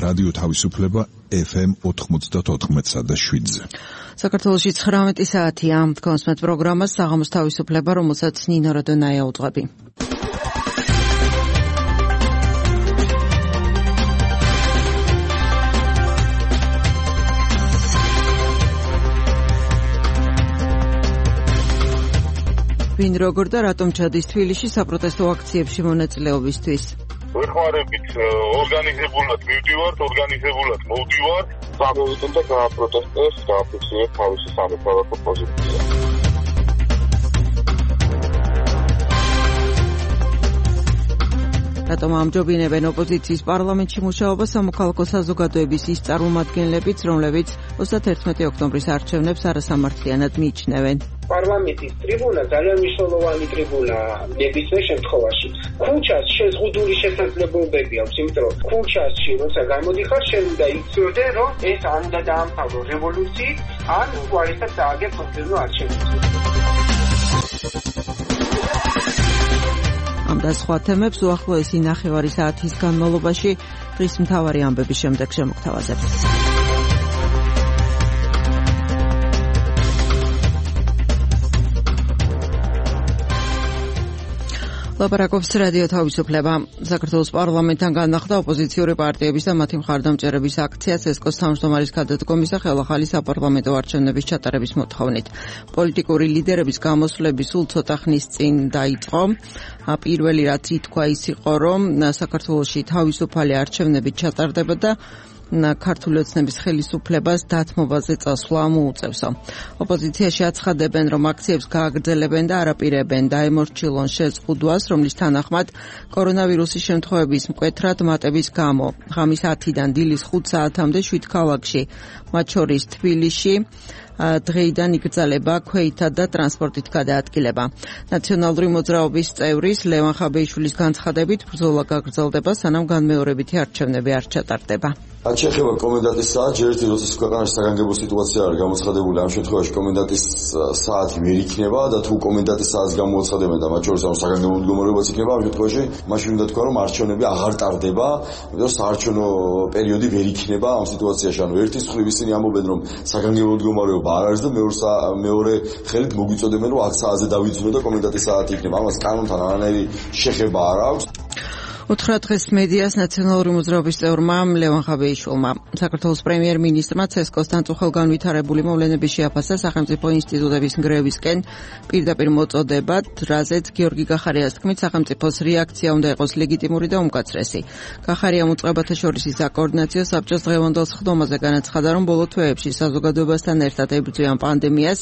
რადიო თავისუფლება FM 94.7-ზე. საქართველოში 19 საათია. კონსმეთ პროგრამას საღამოს თავისუფლება, რომელსაც ნინო როდონაია უძღვები. ვინ როგორ და რატომ ჩადის თბილისში საპროტესტო აქციებში მონაწილეობისთვის? ვეხმარებით ორგანიზებულად მივდივართ, ორგანიზებულად მოვდივართ, გამოვიდეთ და გააპროტესტეს, გააფიქსირეთ თავისი სამოქალაქო პოზიცია. რატომ ამჯობინებენ ოპოზიციის პარლამენტში მუშაობა სამოქალაქო საზოგადოების ის წარმომადგენლებიც, რომლებიც 31 ოქტომბრის არჩევნებს არასამართლიანად მიიჩნევენ? პარლამენტის ტრიბუნა ძალიან მნიშვნელოვანი ტრიბუნაა ნებისმიერ შემთხვევაში. ქუჩას შეზღუდული შესაძლებლობები აქვს, იმიტომ რომ ქუჩაში როცა გამოდიხარ, შენ უნდა იცოდე, რომ ეს ან უნდა დაამთავრო რევოლუციით, ან უარესად დააგებს მომდევნო არჩევნებს. ამ და სხვა თემებს უახლოესი ნახევარი საათის განმავლობაში დღის მთავარი ამბების შემდეგ შემოგთავაზებთ. ლაპარაკობს რადიო თავისუფლება. საქართველოს პარლამენტთან განახლდა ოპოზიციური პარტიების და მათი მხარდამჭერების აქციაც ესკოს თავმჯდომარის გადადგომის და ხელახალი საპარლამენტო არჩევნების ჩატარების მოთხოვნით. პოლიტიკური ლიდერების გამოსვლები სულ ცოტა ხნის წინ დაიწყო. პირველი რაც ითქვა ის იყო, რომ საქართველოში თავისუფალი არჩევნები ჩატარდება და ქართული ოცნების ხელისუფლებას დათმობაზე წასვლა მოუწევსო. ოპოზიციაში აცხადებენ, რომ აქციებს გააგრძელებენ და არაპირებენ დაემორჩილონ შეზღუდვას, რომლის თანახმად კორონავირუსის შემთხვევების მკვეთრად მატების გამო ღამის 10-დან დილის 5 საათამდე 7 ქალაქში, მათ შორის თბილისში, დღეიდან იგრძელება ქვეითა და ტრანსპორტით გადაადგილება. ნაციონალური მოძრაობის წევრის ლევან ხაბეიშვილის განცხადებით, ბრძოლა გაგრძელდება, სანამ განმეორებითი არჩევნები არ ჩატარდება. რაც შეეხება კომენდანტის საათს, ჯერ ერთი როცა ქვეყანაში საგანგებო სიტუაცია არის გამოცხადებული, ამ შემთხვევაში კომენდანტის საათი ვერ იქნება და თუ კომენდანტის საათს გამოაცხადებენ და მათ შორის ამ საგანგებო მდგომარეობაც იქნება, ამ შემთხვევაში მაშინ უნდა თქვა, რომ არჩევნები აღარ ტარდება, იმიტომ რომ საარჩევნო პერიოდი ვერ იქნება ამ სიტუაციაში. ანუ ერთის მხრივ ისინი ამბობენ, რომ საგანგებო მდგომარეობა არ არის და მეორე ხელით მოგვიწოდებენ, რომ 10 საათზე დავიძინო და კომენდანტის საათი იქნება. ამას კანონთან არანაირი შეხება არ აქვს. უთხრა დღეს მედიას ნაციონალური მოძრაობის წევრმა ლევან ხაბეიშვილმა. საქართველოს პრემიერ-მინისტრმა ცესკოსთან წუხელგანვითარებული მოვლენების შეაფასა სახელმწიფო ინსტიტუტების ნგრევისკენ პირდაპირ მოწოდებად, რაზეც გიორგი გახარიას თქმით, სახელმწიფოს რეაქცია უნდა იყოს ლეგიტიმური და უმკაცრესი. გახარიამ უწყებათა შორის საკოორდინაციო საბჭოს დღევანდელ სხდომაზე განაცხადა, რომ ბოლო თვეებში საზოგადოებასთან ერთად ებრძვიან პანდემიას,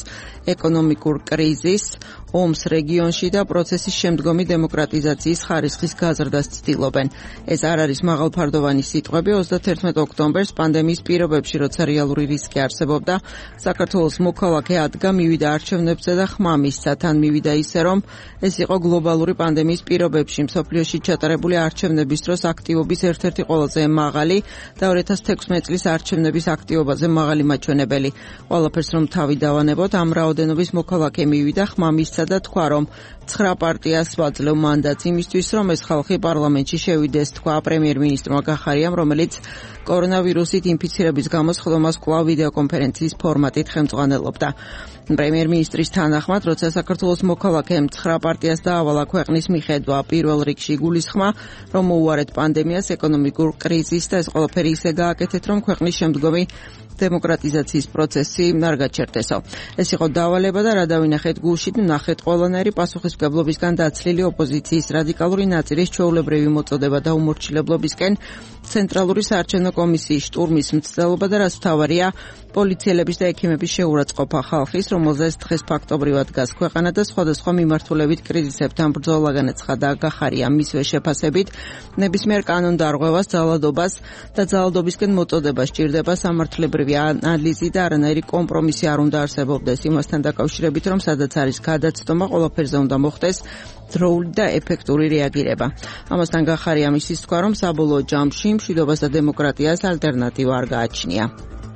ეკონომიკურ კრიზისს, ომს რეგიონში და პროცესის შემდგომი დემოკრატიზაციის ხარისხის გაზრდას ცდილობენ. ეს არ არის მაღალფარდოვანი სიტყვები. 31 ოქტომბერს პანდემიის პირობებში, როცა რეალური რისკი არსებობდა, საქართველოს მოქალაქე ადგა, მივიდა არჩევნებზე და ხმა მისცა. თან მივიდა ისე, რომ ეს იყო გლობალური პანდემიის პირობებში მსოფლიოში ჩატარებული არჩევნების დროს აქტივობის ერთ-ერთი ყველაზე მაღალი და 2016 წლის არჩევნების აქტივობაზე მაღალი მაჩვენებელი. ყველაფერს რომ თავი დავანებოთ, ამ რაოდენობის მოქალაქე მივიდა, ხმა მისცა და თქვა, რომ 9 პარტიას ვაძლევ მანდატს იმისთვის, რომ ეს ხალხი პარლამენტში შევიდეს, თქვა პრემიერ-მინისტრმა გახარიამ, რომელიც კორონავირუსით ინფიცირების გამო სხდომას კვლავ ვიდეოკონფერენციის ფორმატით ხელმძღვანელობდა. პრემიერ-მინისტრის თანახმად, როცა საქართველოს მოქალაქემ 9 პარტიას დაავალა ქვეყნის მიხედვა, პირველ რიგში იგულისხმა, რომ მოუარეთ პანდემიას, ეკონომიკურ კრიზისს და ეს ყველაფერი ისე გააკეთეთ, რომ ქვეყნის შემდგომი დემოკრატიზაციის პროცესი არ გაჩერდესო. ეს იყო დავალება და რა დავინახეთ გულში, ნახეთ ყველანაირი პასუხისმგებლობისგან დაცლილი ოპოზიციის რადიკალური ნაწილის ჩვეულებრივი მოწოდება და უმორჩილებლობისკენ ცენტრალური საარჩევნო კომისიის შტურმის მცდელობა და რაც მთავარია, პოლიციელების და ექიმების შეურაცხყოფა ხალხის, რომელზეც დღეს ფაქტობრივად დგას ქვეყანა და სხვადასხვა მიმართულებით კრიზისებთან ბრძოლა განაცხადა გახარია მისვე შეფასებით, ნებისმიერ კანონდარღვევას, ძალადობას და ძალადობისკენ მოწოდება სჭირდება სამართლებრივი ანალიზი და არანაირი კომპრომისი არ უნდა არსებობდეს იმასთან დაკავშირებით, რომ სადაც არის გადაცდომა, ყველაფერზე უნდა მოხდეს დროული და ეფექტური რეაგირება. ამასთან გახარიამ ისიც თქვა, რომ საბოლოო ჯამში მშვიდობას და დემოკრატიას ალტერნატივა არ გააჩნია.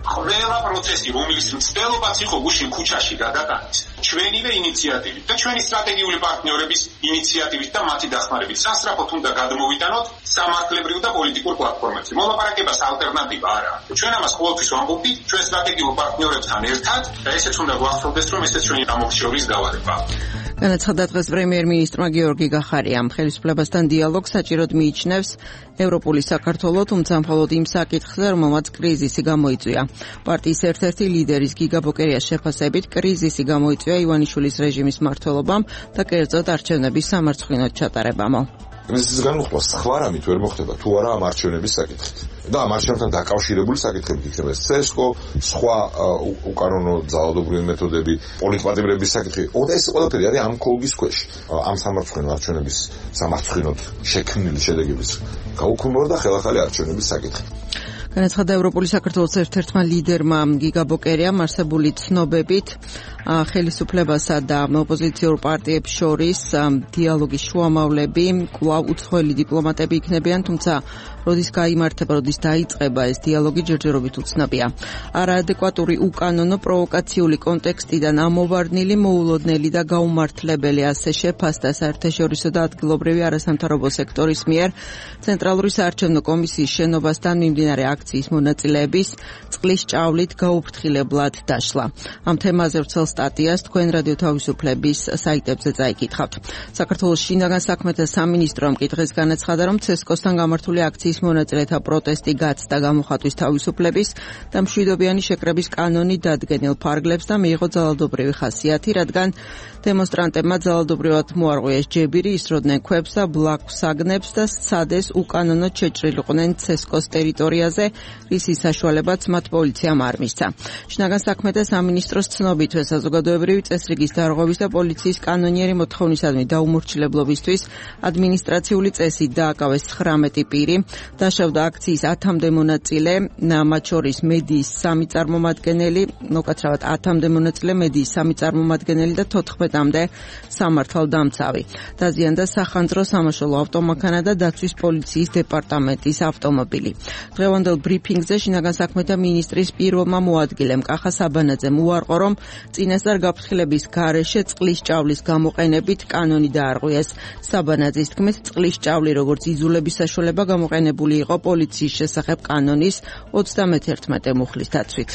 ყველა პროცესი, რომლის მცდელობაც იყო გუშინ ქუჩაში გადატანეს, ჩვენივე ინიციატივით და ჩვენი სტრატეგიული პარტნიორების ინიციატივით და მათი დახმარებით სასწრაფოდ უნდა გადმოვიტანოთ სამართლებრივ და პოლიტიკურ პლატფორმებზე. მოლაპარაკებას ალტერნატივა არ აქვს. ჩვენ ამას ყოველთვის ვამბობთ ჩვენ სტრატეგიულ პარტნიორებთან ერთად და ესეც უნდა გვახსოვდეს, რომ ესეც ჩვენი გამორჩეობის დავალებაა. განაცხადა დღეს პრემიერ-მინისტრმა გიორგი გახარიამ. ხელისუფლებასთან დიალოგს საჭიროდ მიიჩნევს ევროპული საქართველო, თუმცა მხოლოდ იმ საკითხზე, რომელმაც კრიზისი გამოიწვია. პარტიის ერთ-ერთი ლიდერის გიგა ბოკერიას შეფასებით, კრიზისი გამოიწვია ივანიშვილის რეჟიმის მმართველობამ და კერძოდ არჩევნების სამარცხვინოდ ჩატარებამო. კრიზისის განუხმა სხვა რამით ვერ მოხდება თუ არა ამ არჩევნების საკითხით. და ამ არჩევნებთან დაკავშირებული საკითხებით იქნება CSGO, სხვა უკანონო ძალადობრივი მეთოდები, პოლიტპატიმრების საკითხი. ეს ყველაფერი არის ამ კოლგის ქვეშ. ამ სამარცხვინო არჩევნების სამარცხვინოდ შექმნილი შედეგების გაუქმება და ხელახალი არჩევნების საკითხი. განაცხადა ევროპული საქართველოს ერთ-ერთმა ლიდერმა გიგა ბოკერიამ არსებული ცნობებით ხელისუფლებასა და ოპოზიციურ პარტიებს შორის დიალოგის შუამავლები კვლავ უცხოელი დიპლომატები იქნებიან, თუმცა როდის გაიმართება, როდის დაიწყება ეს დიალოგი ჯერჯერობით უცნობია. არაადეკვატური, უკანონო, პროვოკაციული კონტექსტიდან ამოვარდნილი, მოულოდნელი და გაუმართლებელი ასე შეფასდა საერთაშორისო და ადგილობრივი არასამთავრობო სექტორის მიერ ცენტრალური საარჩევნო კომისიის შენობასთან მიმდინარე აქციის მონაწილეების წყლის ჭავლით გაუფრთხილებლად დაშლა. ამ თემაზე ვრცელ სტატიას თქვენ რადიო თავისუფლების საიტებზე წაიკითხავთ. საქართველოს შინაგან საქმეთა სამინისტრომ კი დღეს განაცხადა, რომ CSGO-სთან გამართული აქციის მონაწილეთა პროტესტი გაცდა გამოხატვის თავისუფლების და მშვიდობიანი შეკრების კანონი დადგენილ ფარგლებს და მიიღო ძალადობრივი ხასიათი, რადგან დემონსტრანტებმა ძალადობრივად მოარღვიეს ჯებირი, ისროდნენ ქვებს და ბლაგვსაგნებს და სცადეს უკანონოდ შეჭრილიყვნენ CSGO-s ტერიტორიაზე, რისი საშუალებაც მათ პოლიციამ არ მისცა. შინაგან საქმეთა სამინისტროს ცნობით საზოგადოებრივი წესრიგის დარღვევის და პოლიციის კანონიერი მოთხოვნისადმი დაუმორჩილებლობისთვის ადმინისტრაციული წესით დააკავეს 19 პირი. დაშავდა აქციის 10-მდე მონაწილე, მათ შორის მედიის 3 წარმომადგენელი, მოკაცრავად 10-მდე მონაწილე, მედიის 3 წარმომადგენელი და 14-მდე სამართალდამცავი. დაზიანდა სახანძრო სამაშველო ავტომანქანა და დაცვის პოლიციის დეპარტამენტის ავტომობილი. დღევანდელ ბრიფინგზე შინაგან საქმეთა მინისტრის პირველმა მოადგილემ კახა საბანაძემ უარყო, რომ წინასწარ გაფრთხილების გარეშე წყლის ჭავლის გამოყენებით კანონი დაარღვიეს. საბანაძის თქმით, წყლის ჭავლი როგორც იზოლების საშუალება გამოყენებული იყო პოლიციის შესახებ კანონის 31 მუხლის დაცვით.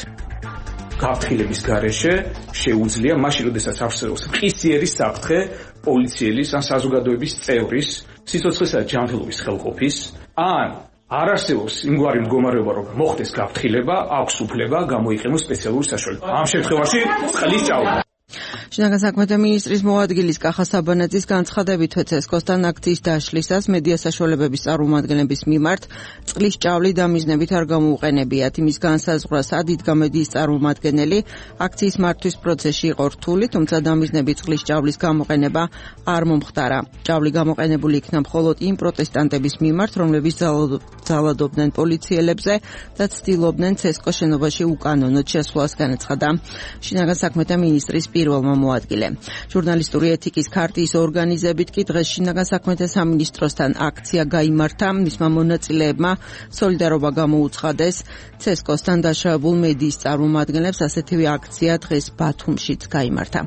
გაფრთხილების გარეშე შეუძლია მაშინ, როდესაც არსებობს მყისიერი საფრთხე პოლიციელის ან საზოგადოების წევრის, სიცოცხლისა და ჯანმრთელობის ხელყოფის, ან არ არსებობს იმგვარი მდგომარეობა, რომ მოხდეს გაფრთხილება, აქვს უფლება გამოიყენოს სპეციალური საშუალება. ამ შემთხვევაში წყლის ჭავლი. შინაგან საქმეთა მინისტრის მოადგილის კახა საბანაძის განცხადებით CSGO-სთან აქციის დაშლისას მედია საშუალებების წარმომადგენლების მიმართ წყლის ჭავლი დამიზნებით არ გამოუყენებიათ. იმის განსაზღვრას ადიდგა მედიის წარმომადგენელი აქციის მართვის პროცესში იყო რთული, თუმცა დამიზნებით წყლის ჭავლის გამოყენება არ მომხდარა. ჭავლი გამოყენებული იქნა მხოლოდ იმ პროტესტანტების მიმართ, რომლებიც ძალადობდნენ პოლიციელებზე და ცდილობდნენ CSGO შენობაში უკანონოდ შესვლას, განაცხადა შინაგან საქმეთა მინისტრის პირველმა მოადგილემ. ჟურნალისტური ეთიკის ქარტიის ორგანიზებით კი დღეს შინაგან საქმეთა სამინისტროსთან აქცია გაიმართა. მისმა მონაწილეებმა სოლიდარობა გამოუცხადეს CSGO-სთან დაშავებულ მედიის წარმომადგენლებს. ასეთივე აქცია დღეს ბათუმშიც გაიმართა.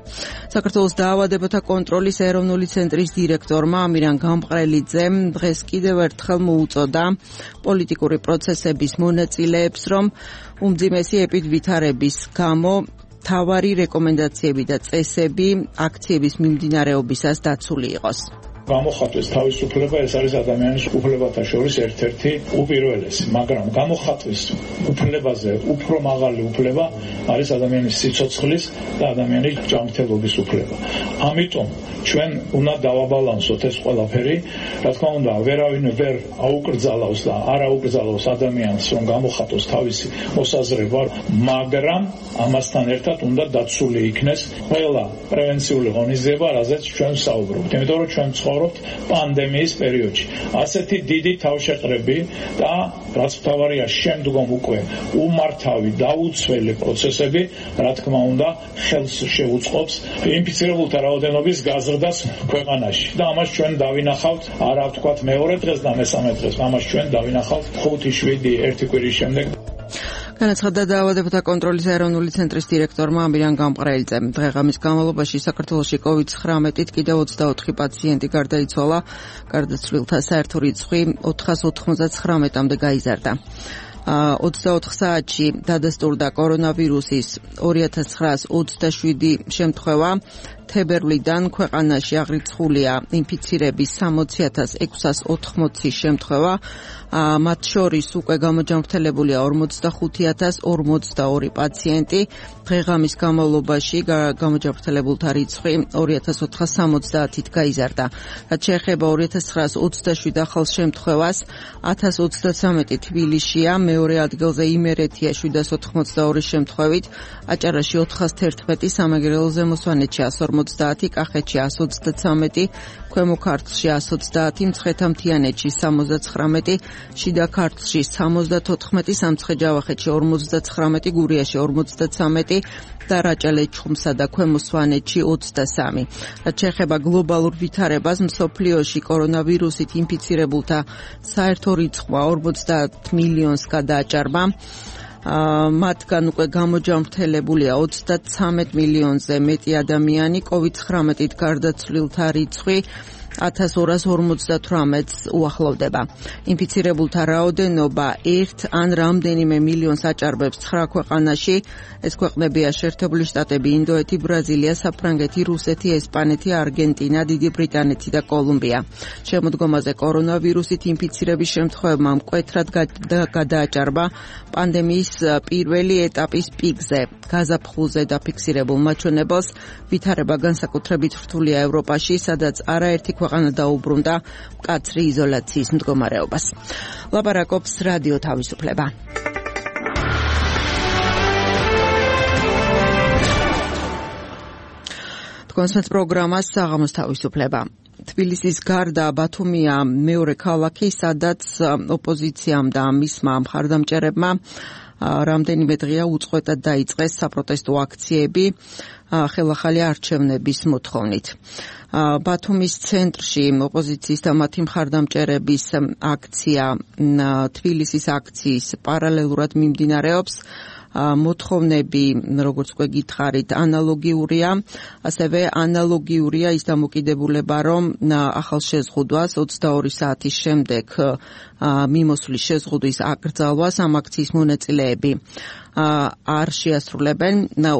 საქართველოს დაავადებათა კონტროლის ეროვნული ცენტრის დირექტორმა ამირან გამყრელიძემ დღეს კიდევ ერთხელ მოუწოდა პოლიტიკური პროცესების მონაწილეებს, რომ უმძიმესი ეპიდვითარების გამო თავარი რეკომენდაციები და წესები აქციების მიმდინარეობისას დაცული იყოს. გამოხატვის თავისუფლება ეს არის ადამიანის უფლებათა შორის ერთ-ერთი უპირველესი, მაგრამ გამოხატვის უფლებაზე უფრო მაღალი უფლება არის ადამიანის სიცოცხლის და ადამიანის ჯანმრთელობის უფლება. ამიტომ ჩვენ უნდა დავაბალანსოთ ეს ყველაფერი, რა თქმა უნდა, ვერავინ ვერ აუკრძალავს და არ აუკრძალავს ადამიანს, რომ გამოხატოს თავისი მოსაზრება, მაგრამ ამასთან ერთად უნდა დაცული იქნეს ყველა პრევენციული ღონისძიება, რაზეც ჩვენ ვსაუბრობთ. იმიტომ რომ ჩვენ ცხოვრობთ პანდემიის პერიოდში. ასეთი დიდი თავშეყრები და რაც მთავარია შემდგომ უკვე უმართავი დაუცველი პროცესები, რა თქმა უნდა, ხელს შეუწყობს ინფიცირებულთა რაოდენობის გაზრდას ქვეყანაში. და ამას ჩვენ დავინახავთ, არა ვთქვათ მეორე დღეს და მესამე დღეს, ამას ჩვენ დავინახავთ 5-7 ერთი კვირის შემდეგ. განაცხადა დაავადებათა კონტროლის ეროვნული ცენტრის დირექტორმა ამირან გამყრელიძემ. დღეღამის განმავლობაში საქართველოში COVID-19-ით კიდევ 24 პაციენტი გარდაიცვალა, გარდაცვლილთა საერთო რიცხვი 499-მდე გაიზარდა. 24 საათში დადასტურდა კორონავირუსის 2927 შემთხვევა. თებერვლიდან ქვეყანაში აღრიცხულია ინფიცირების 60,680 შემთხვევა. მათ შორის უკვე გამოჯანმრთელებულია 45,042 პაციენტი. დღეღამის განმავლობაში გამოჯანმრთელებულთა რიცხვი 2470-ით გაიზარდა. რაც შეეხება 2927 ახალ შემთხვევას, 1033 თბილისშია, მეორე ადგილზე იმერეთია 782 შემთხვევით, აჭარაში 411, სამეგრელოზე მოსვანეთში 150, კახეთში 133, ქვემო ქართლში 130, მცხეთა-მთიანეთში 79, შიდა ქართლში 74, სამცხე-ჯავახეთში 59, გურიაში 53 და რაჭა-ლეჩხუმსა და ქვემო სვანეთში 23. რაც შეეხება გლობალურ ვითარებას, მსოფლიოში კორონავირუსით ინფიცირებულთა საერთო რიცხვი 50 მილიონს გადააჭარბა. მათგან უკვე გამოჯანმრთელებულია 33 მილიონზე მეტი ადამიანი, COVID-19-ით გარდაცვლილთა რიცხვი 1258-ს უახლოვდება. ინფიცირებულთა რაოდენობა 1 ან რამდენიმე მილიონს აჭარბებს 9 ქვეყანაში. ეს ქვეყნებია შეერთებული შტატები, ინდოეთი, ბრაზილია, საფრანგეთი, რუსეთი, ესპანეთი, არგენტინა, დიდი ბრიტანეთი და კოლუმბია. შემოდგომაზე კორონავირუსით ინფიცირების შემთხვევებმა მკვეთრად გადააჭარბა პანდემიის პირველი ეტაპის პიკზე. გაზაფხულზე დაფიქსირებულ მაჩვენებელს ვითარება განსაკუთრებით რთულია ევროპაში, სადაც არაერთი ქვეყანა დაუბრუნდა მკაცრი იზოლაციის მდგომარეობას. ლაპარაკობს რადიო თავისუფლება. თქვენს პროგრამას საღამოს თავისუფლება. თბილისის გარდა ბათუმია მეორე ქალაქი, სადაც ოპოზიციამ და მისმა მხარდამჭერებმა რამდენიმე დღეა უწყვეტად დაიწყეს საპროტესტო აქციები ხელახალი არჩევნების მოთხოვნით. ბათუმის ცენტრში ოპოზიციის და მათი მხარდამჭერების აქცია თბილისის აქციის პარალელურად მიმდინარეობს. მოთხოვნები, როგორც უკვე გითხარით, ანალოგიურია, ასევე ანალოგიურია ის დამოკიდებულება, რომ ახალ შეზღუდვას 22 საათის შემდეგ მიმოსვლის შეზღუდვის აკრძალვას ამ აქციის მონაწილეები არ შეასრულებენ.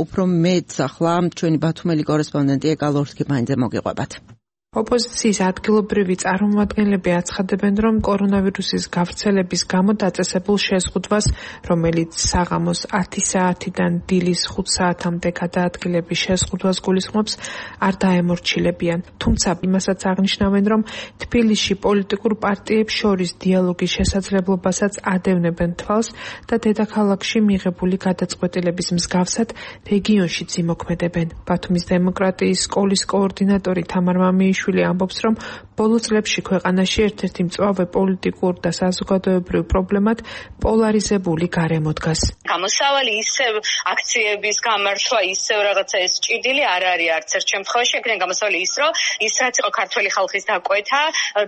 უფრო მეც ახლა ჩვენი ბათუმელი კორესპონდენტი ეკალ ორთქიფანიძე მოგიყვებათ. ოპოზიციის ადგილობრივი წარმომადგენლები აცხადებენ, რომ კორონავირუსის გავრცელების გამო დაწესებულ შეზღუდვას, რომელიც საღამოს 10 საათიდან დილის 5 საათამდე გადაადგილების შეზღუდვას გულისხმობს, არ დაემორჩილებიან. თუმცა იმასაც აღნიშნავენ, რომ თბილისში პოლიტიკურ პარტიებს შორის დიალოგის შესაძლებლობასაც ადევნებენ თვალს და დედაქალაქში მიღებული გადაწყვეტილების მსგავსად რეგიონშიც იმოქმედებენ. ბათუმის დემოკრატიის სკოლის კოორდინატორი თამარ მამიშვილი ამბობს, რომ ბოლო წლებში ქვეყანაში ერთ-ერთი მწვავე პოლიტიკურ და საზოგადოებრივ პრობლემად პოლარიზებული გარემო დგას. გამოსავალი ისევ აქციების გამართვა, ისევ რაღაცა ეს ჭიდილი არ არის არც ერთ შემთხვევაში, ეგრენ გამოსავალი ის, რომ ის რაც იყო ქართული ხალხის დაკვეთა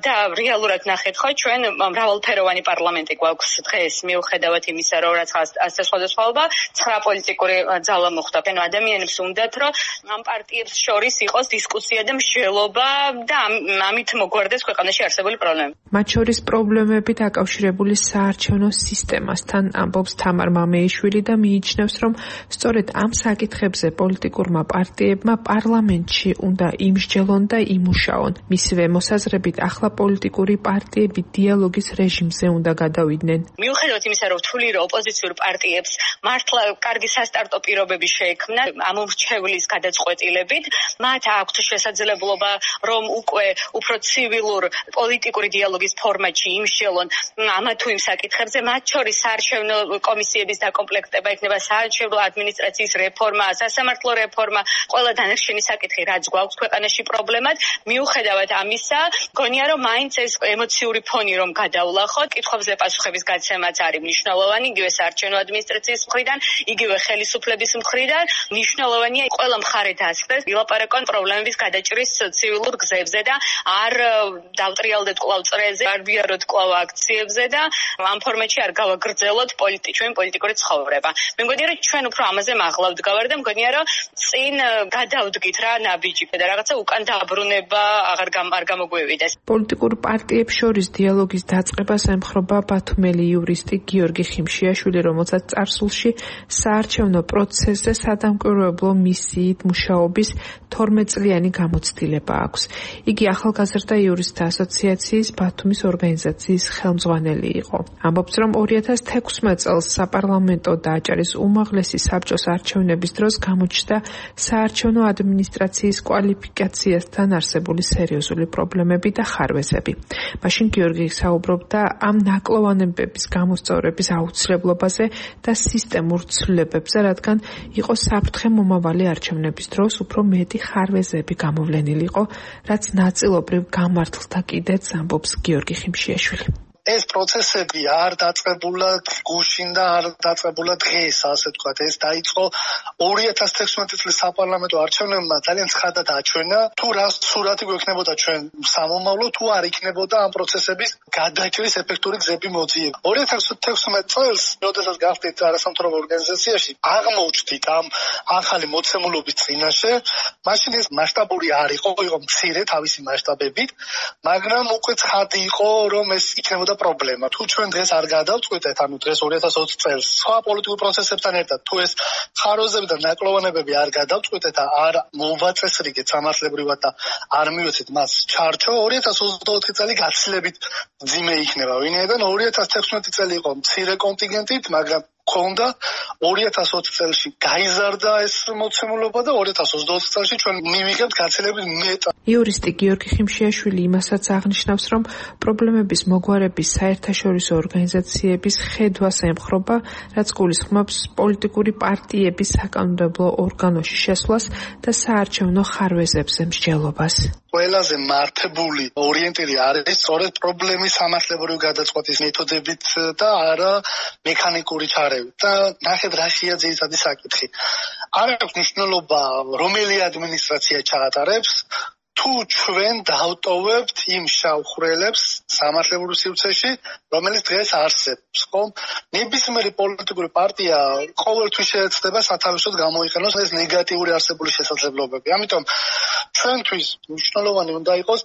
და რეალურად ნახეთ ხო ჩვენ მრავალფეროვანი პარლამენტი გვაქვს დღეს მიუხედავად იმისა, რომ რაც ასე სხვადასხვაობა 9 პოლიტიკური ძალა მოხდა. ანუ ადამიანებს უნდათ, რომ ამ პარტიებს შორის იყოს დისკუსია და მსჯელობა და ამით მოგვარდეს ქვეყანაში არსებული პრობლემები. მათ შორის პრობლემები დაკავშირებული საარჩევნო სისტემასთან ამბობს თამარ მამეიშვილი და მიიჩნევს, რომ სწორედ ამ საკითხებზე პოლიტიკურმა პარტიებმა პარლამენტში უნდა იმსჯელონ და იმუშაონ. მისივე მოსაზრებით ახლა პოლიტიკური პარტიები დიალოგის რეჟიმზე უნდა გადავიდნენ. მიუხედავად იმისა, რომ რთული რომ ოპოზიციურ პარტიებს მართლა კარგი სასტარტო პირობები შეექმნა ამ მრჩევლის გადაწყვეტილებით, მათ აქვთ შესაძლებლობა რომ უკვე უფრო ცივილურ პოლიტიკური დიალოგის ფორმატში იმსჯელონ ამა თუ იმ საკითხებზე, მათ შორის საარჩევნო კომისიების დაკომპლექტება იქნება, საარჩევნო ადმინისტრაციის რეფორმა, სასამართლო რეფორმა, ყველა დანარჩენი საკითხი, რაც გვაქვს ქვეყანაში პრობლემად. მიუხედავად ამისა, გონია რომ მაინც ეს ემოციური ფონი რომ გადავლახოთ, კითხვებზე პასუხების გაცემაც არის მნიშვნელოვანი, იგივე საარჩევნო ადმინისტრაციის მხრიდან, იგივე ხელისუფლების მხრიდან, მნიშვნელოვანია ყველა მხარე დასხდეს ილაპარაკონ პრობლემების გადაჭრის ცივილურ გზებზე და არ დავტრიალდეთ კვლავ წრეზე, არ ვიაროთ კვლავ აქციებზე და ამ ფორმატში არ გავაგრძელოთ ჩვენი პოლიტიკური ცხოვრება. მე მგონია რომ ჩვენ უფრო ამაზე მაღლა ვდგავარ და მგონია რომ წინ გადავდგით რა ნაბიჯი და რაღაცა უკან დაბრუნება არ გამოგვივიდეს. პოლიტიკურ პარტიებს შორის დიალოგის დაწყებას ემხრობა ბათუმელი იურისტი გიორგი ხიმშიაშვილი, რომელსაც წარსულში საარჩევნო პროცესზე სადამკვირვებლო მისიით მუშაობის 12 წლიანი გამოცდილება აქვს. იგი ახალგაზრდა იურისტთა ასოციაციის ბათუმის ორგანიზაციის ხელმძღვანელი იყო. ამბობს, რომ 2016 წელს საპარლამენტო და აჭარის უმაღლესი საბჭოს არჩევნების დროს გამოჩნდა საარჩევნო ადმინისტრაციის კვალიფიკაციასთან არსებული სერიოზული პრობლემები და ხარვეზები. მაშინ გიორგი საუბრობდა ამ ნაკლოვანებების გამოსწორების აუცილებლობაზე და სისტემურ ცვლილებებზე, რადგან იყო საფრთხე მომავალი არჩევნების დროს უფრო მეტი ხარვეზები გამოვლენილი იყო, რაც ნაწილობრივ გამართლდა კიდეც, ამბობს გიორგი ხიმშიაშვილი. ეს პროცესები არ დაწყებულად გუშინ და არ დაწყებულად დღეს, ასე ვთქვათ, ეს დაიწყო 2016 წლის საპარლამენტო არჩევნებმა ძალიან ცხადად აჩვენა, თუ რა სურათი გვექნებოდა ჩვენ სამომავლო, თუ არ იქნებოდა ამ პროცესების გადაჭრის ეფექტური გზები მოძიება. 2016 წელს, როდესაც გავხდით არასამთავრობო ორგანიზაციაში, აღმოჩნდით ამ ახალი მოცემულობის წინაშე, მაშინ ეს მასშტაბური არ იყო მცირე თავისი მასშტაბებით, მაგრამ უკვე ცხადი იყო, რომ ეს იქნებოდა პრობლემა. თუ ჩვენ დღეს არ გადავწყვიტეთ, ანუ დღეს 2020 წელს სხვა პოლიტიკურ პროცესებთან ერთად, თუ ეს ხარვეზები და ნაკლოვანებები არ გადავწყვიტეთ და არ მოვაწესრიგეთ სამართლებრივად და არ მივეცეთ მას ჩარჩო, 2024 წელი გაცილებით მძიმე იქნება. ვინაიდან 2016 წელი იყო მცირე კონტინგენტით, მაგრამ ქონდა 2020 წელში გაიზარდა ეს მოცემულობა და 2020 წელში ჩვენ მივიღებთ გაცილებით მეტად. იურისტი გიორგი ხიმშიაშვილი იმასაც აღნიშნავს, რომ პრობლემების მოგვარების საერთაშორისო ორგანიზაციების ხედვას ემხრობა, რაც გულისხმობს პოლიტიკური პარტიების საკანონმდებლო ორგანოში შესვლას და საარჩევნო ხარვეზებზე მსჯელობას. ყველაზე მართებული ორიენტირი არის სწორედ პრობლემის სამართლებრივი გადაწყვეტის მეთოდებით და არა მექანიკური ჩარევით. და ნახეთ რა შეაძლოა საკითხი. არ აქვს მნიშვნელობა რომელი ადმინისტრაცია ჩაატარებს, თუ ჩვენ დავტოვებთ იმ შავხრელებს სამართლებრივ სივრცეში, რომელიც დღეს არსებობს, ხო? ნებისმიერი პოლიტიკური პარტია ყოველთვის შეეცდება სათავისოდ გამოიყენოს ეს ნეგატიური არსებული შესაძლებლობები. ამიტომ ჩვენთვის მნიშვნელოვანი უნდა იყოს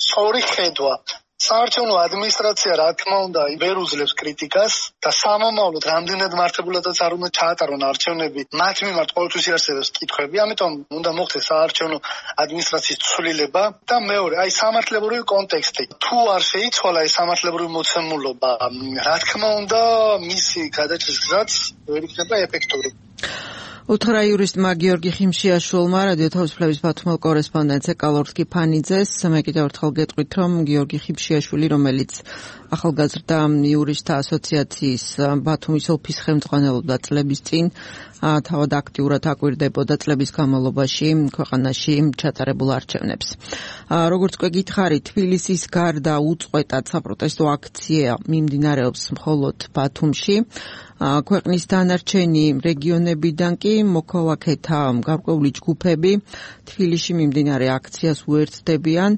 სწორი ხედვა. საარჩევნო ადმინისტრაცია, რა თქმა უნდა, ვერ უძლებს კრიტიკას და სამომავლოდ რამდენად მართებულადაც არ უნდა ჩაატარონ არჩევნები, მათ მიმართ ყოველთვის იარსებებს კითხვები. ამიტომ უნდა მოხდეს საარჩევნო ადმინისტრაციის ცვლილება და მეორე, სამართლებრივი კონტექსტი. თუ არ შეიცვალა ეს სამართლებრივი მოცემულობა, რა თქმა უნდა, მისი გადაჭრის გზაც ვერ იქნება ეფექტური. უთხრა იურისტმა გიორგი ხიმშიაშვილმა რადიო თავისუფლების ბათუმელ კორესპონდენტს ეკალორსკი ფანიძეს. მე კიდევ ერთხელ გეტყვით, რომ გიორგი ხიმშიაშვილი, რომელიც ახალგაზრდა იურისტთა ასოციაციის ბათუმის ოფისის ხელმძღვანელობდა წლების წინ, თავად აქტიურად აკვირდებოდა წლების განმავლობაში ქვეყანაში ჩატარებულ არჩევნებს. როგორც უკვე გითხარით, თბილისის გარდა უწყვეტად საპროტესტო აქცია მიმდინარეობს მხოლოდ ბათუმში. ქვეყნის დანარჩენი რეგიონებიდან კი მოქალაქეთა გარკვეული ჯგუფები თბილისში მიმდინარე აქციას უერთდებიან.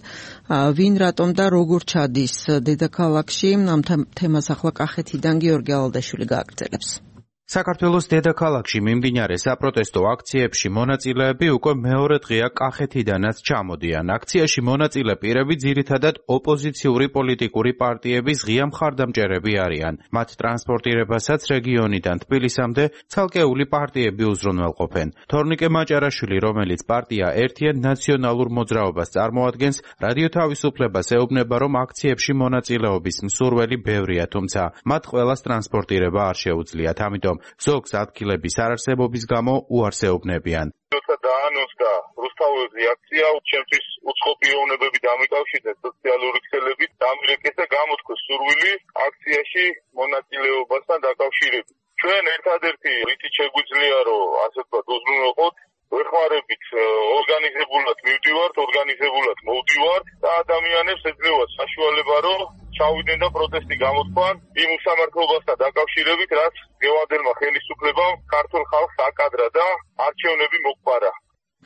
ვინ რატომ და როგორ ჩადის დედაქალაქში, ამ თემას ახლა კახეთიდან გიორგი ალადაშვილი გააგრძელებს. საქართველოს დედაქალაქში მიმდინარე საპროტესტო აქციებში მონაწილეები უკვე მეორე დღეა კახეთიდანაც ჩამოდიან. აქციაში მონაწილე პირები ძირითადად ოპოზიციური პოლიტიკური პარტიების ღია მხარდამჭერები არიან. მათ ტრანსპორტირებასაც რეგიონიდან თბილისამდე ცალკეული პარტიები უზრუნველყოფენ. თორნიკე მაჭარაშვილი, რომელიც პარტია ერთიან ნაციონალურ მოძრაობას წარმოადგენს, რადიო თავისუფლებას ეუბნება, რომ აქციებში მონაწილეობის მსურველი ბევრია, თუმცა მათ ყველას ტრანსპორტირება არ შეუძლიათ. ამიტომ ზოგს ადგილების არარსებობის გამო უარს ეუბნებიან. როცა დაანონსდა რუსთაველზე აქცია, ჩემთვის უცხოპი ეუბნებები დამიკავშირდა სოციალური ქსელებით, დამირეკეს და გამოთქვეს სურვილი აქციაში მონაწილეობასთან დაკავშირებით. ჩვენ ერთადერთი რითიც შეგვიძლია, რომ ასე ვთქვათ, უზრუნველყოთ, ვეხმარებით ორგანიზებულად მივდივართ, ორგანიზებულად მოვდივართ და ადამიანებს ეძლევათ საშუალება, რომ ჩავიდნენ და პროტესტი გამოთქვან იმ უსამართლობასთან დაკავშირებით, რაც გევადელმა ხელისუფლებამ ქართულ ხალხს აკადრა და არჩევნები მოყარა.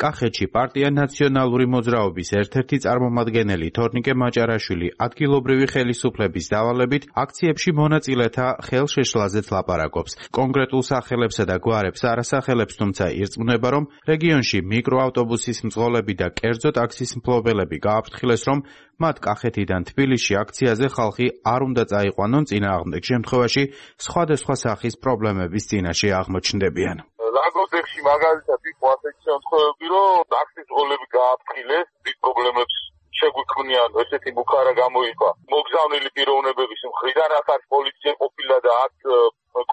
კახეთში პარტია ნაციონალური მოძრაობის ერთ-ერთი წარმომადგენელი თორნიკე მაჭარაშვილი ადგილობრივი ხელისუფლების დავალებით აქციებში მონაწილეთა ხელშეშლაზეც ლაპარაკობს. კონკრეტულ სახელებსა და გვარებს არ ასახელებს, თუმცა ირწმუნება, რომ რეგიონში მიკროავტობუსის მძღოლები და კერძო ტაქსის მფლობელები გააფრთხილეს, რომ მათ კახეთიდან თბილისში აქციაზე ხალხი არ უნდა წაიყვანონ, წინააღმდეგ შემთხვევაში სხვადასხვა სახის პრობლემების წინაშე აღმოჩნდებიან. ლაგოდეხში მაგალითად იყო ასეთი შემთხვევები, რომ ტაქსის მძღოლები გააფრთხილეს, დიდ პრობლემებს შეგვიქმნიან, ესეთი ბუქარა გამოიყვა მოგზავნილი პიროვნებების მხრიდან, რაც არის პოლიცია ყოფილა და აქ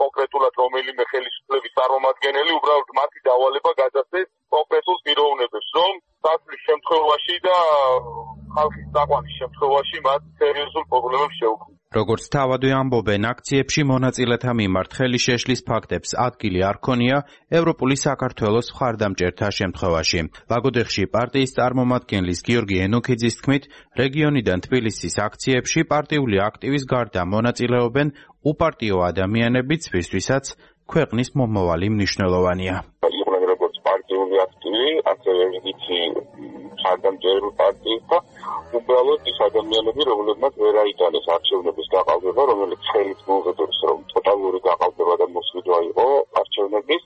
კონკრეტულად რომელიმე ხელისუფლების წარმომადგენელი უბრალოდ მათი დავალება გადასცეს კონკრეტულ პიროვნებებს, რომ დასვლის შემთხვევაში და ხალხის წაყვანის შემთხვევაში მათ სერიოზულ პრობლემებს შეუქმნიან. როგორც თავადვე ამბობენ, აქციებში მონაწილეთა მიმართ ხელშეშლის ფაქტებს ადგილი არ ქონია ევროპული საქართველოს მხარდამჭერთა შემთხვევაში. ლაგოდეხში პარტიის წარმომადგენლის გიორგი ენოქიძის თქმით, რეგიონიდან თბილისის აქციებში პარტიული აქტივის გარდა მონაწილეობენ უპარტიო ადამიანებიც, ვისთვისაც ქვეყნის მომავალი მნიშვნელოვანია. იყვნენ როგორც პარტიული აქტივი, ასევე ვიცი მხარდამჭერული პარტიის და უბრალოდ ის ადამიანები, რომლებმაც ვერ აიტანეს არჩევნების გაყალბება, რომელიც ხელით მოუღებებს, რომ ტოტალური გაყალბება და მოსყიდვა იყო არჩევნების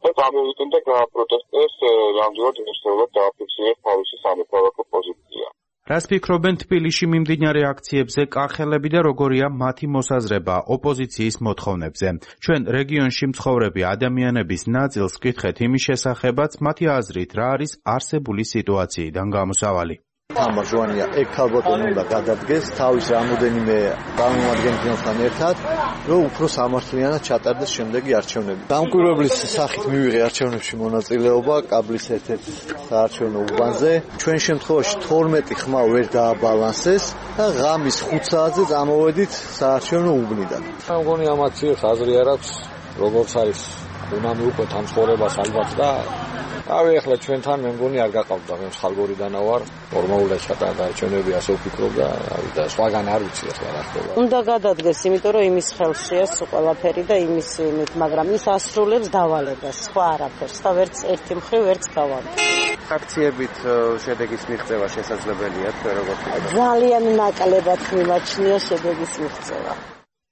და გამოვიდნენ და გააპროტესტეს, რამდენად მნიშვნელოვნად დააფიქსირეს თავისი სამოქალაქო პოზიცია. რას ფიქრობენ თბილისში მიმდინარე აქციებზე კახელები და როგორია მათი მოსაზრება ოპოზიციის მოთხოვნებზე? ჩვენ რეგიონში მცხოვრები ადამიანების ნაწილს ვკითხეთ იმის შესახებაც, მათი აზრით რა არის არსებული სიტუაციიდან გამოსავალი. ამაჟვანია ეგ ქალბატონი უნდა გადადგეს თავის რამოდენიმე წარმომადგენელთან ერთად, რომ უფრო სამართლიანად ჩატარდეს შემდეგი არჩევნები. დამკვირვებლის სახით მივიღე არჩევნებში მონაწილეობა კაბლის ერთ-ერთ საარჩევნო უბანზე. ჩვენ შემთხვევაში 12 ხმა ვერ დააბალანსეს და ღამის 5 საათზე წამოვედით საარჩევნო უბნიდან. მგონი ამათი აზრი არ აქვს, როგორც არის უნდა მივყვეთ ამ ცხოვრებას ალბათ და ავი ახლა ჩვენთან მე მგონი არ გაყავდა, მე ხალგორიდან ვარ, ნორმალურად ჩატარდა არჩევნები, ასე ვფიქრობ და და სხვაგან არ ვიცი ახლა რა ხდება. უნდა გადადგეს, იმიტომ რომ იმის ხელშია ყველაფერი და იმის იმით, მაგრამ ის ასრულებს დავალებას, სხვა არაფერს და ვერც ერთი მხრივ ვერც გავამბობ. აქციებით შედეგის მიღწევა შესაძლებელია, თქვენ როგორ ვფიქრობთ? ძალიან ნაკლებად მიმაჩნია შედეგის მიღწევა.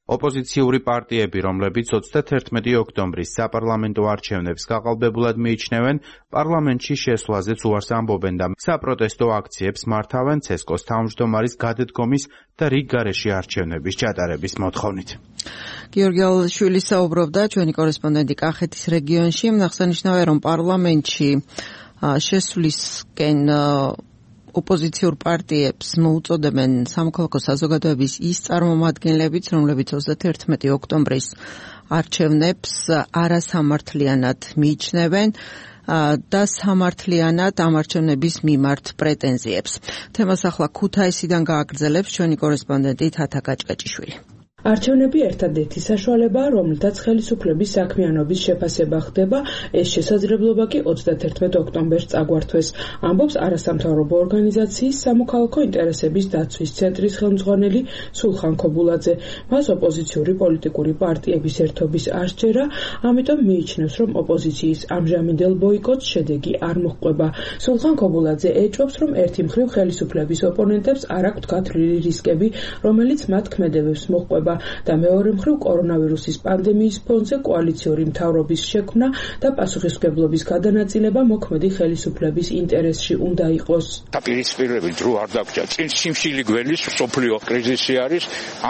ოპოზიციური პარტიები, რომლებიც 31 ოქტომბრის საპარლამენტო არჩევნებს გაყალბებულად მიიჩნევენ, პარლამენტში შესვლაზეც უარს ამბობენ და საპროტესტო აქციებს მართავენ ცესკოს თავმჯდომარის გადადგომის და რიგ გარეშე არჩევნების ჩატარების მოთხოვნით. გიორგი ალაშვილი საუბრობდა, ჩვენი კორესპონდენტი კახეთის რეგიონში. აღსანიშნავია, რომ პარლამენტში შესვლისკენ ოპოზიციურ პარტიებს მოუწოდებენ სამოქალაქო საზოგადოების ის წარმომადგენლებიც, რომლებიც 31 ოქტომბრის არჩევნებს არასამართლიანად მიიჩნევენ და სამართლიანად ამ არჩევნების მიმართ პრეტენზიებს. თემას ახლა ქუთაისიდან გააგრძელებს ჩვენი კორესპონდენტი თათა გაჭკაჭიშვილი. არჩევნები ერთადერთი საშუალებაა, რომლითაც ხელისუფლების საქმიანობის შეფასება ხდება, ეს შესაძლებლობა კი 31 ოქტომბერს წაგვართვეს, ამბობს არასამთავრობო ორგანიზაციის სამოქალაქო ინტერესების დაცვის ცენტრის ხელმძღვანელი სულხან ქობულაძე. მას ოპოზიციური პოლიტიკური პარტიების ერთობის არ სჯერა, ამიტომ მიიჩნევს, რომ ოპოზიციის ამჟამინდელ ბოიკოტს შედეგი არ მოჰყვება. სულხან ქობულაძე ეჭვობს, რომ ერთი მხრივ ხელისუფლების ოპონენტებს არ აქვთ გათვლილი რისკები, რომელიც მათ ქმედებებს მოჰყვება და მეორე მხრივ კორონავირუსის პანდემიის ფონზე კოალიციური მთავრობის შექმნა და პასუხისმგებლობის გადანაწილება მოქმედი ხელისუფლების ინტერესში უნდა იყოს. დაპირისპირებით დრო არ დაგჭა, წინ სიმშილი გველის სოფლიო კრიზისი არის,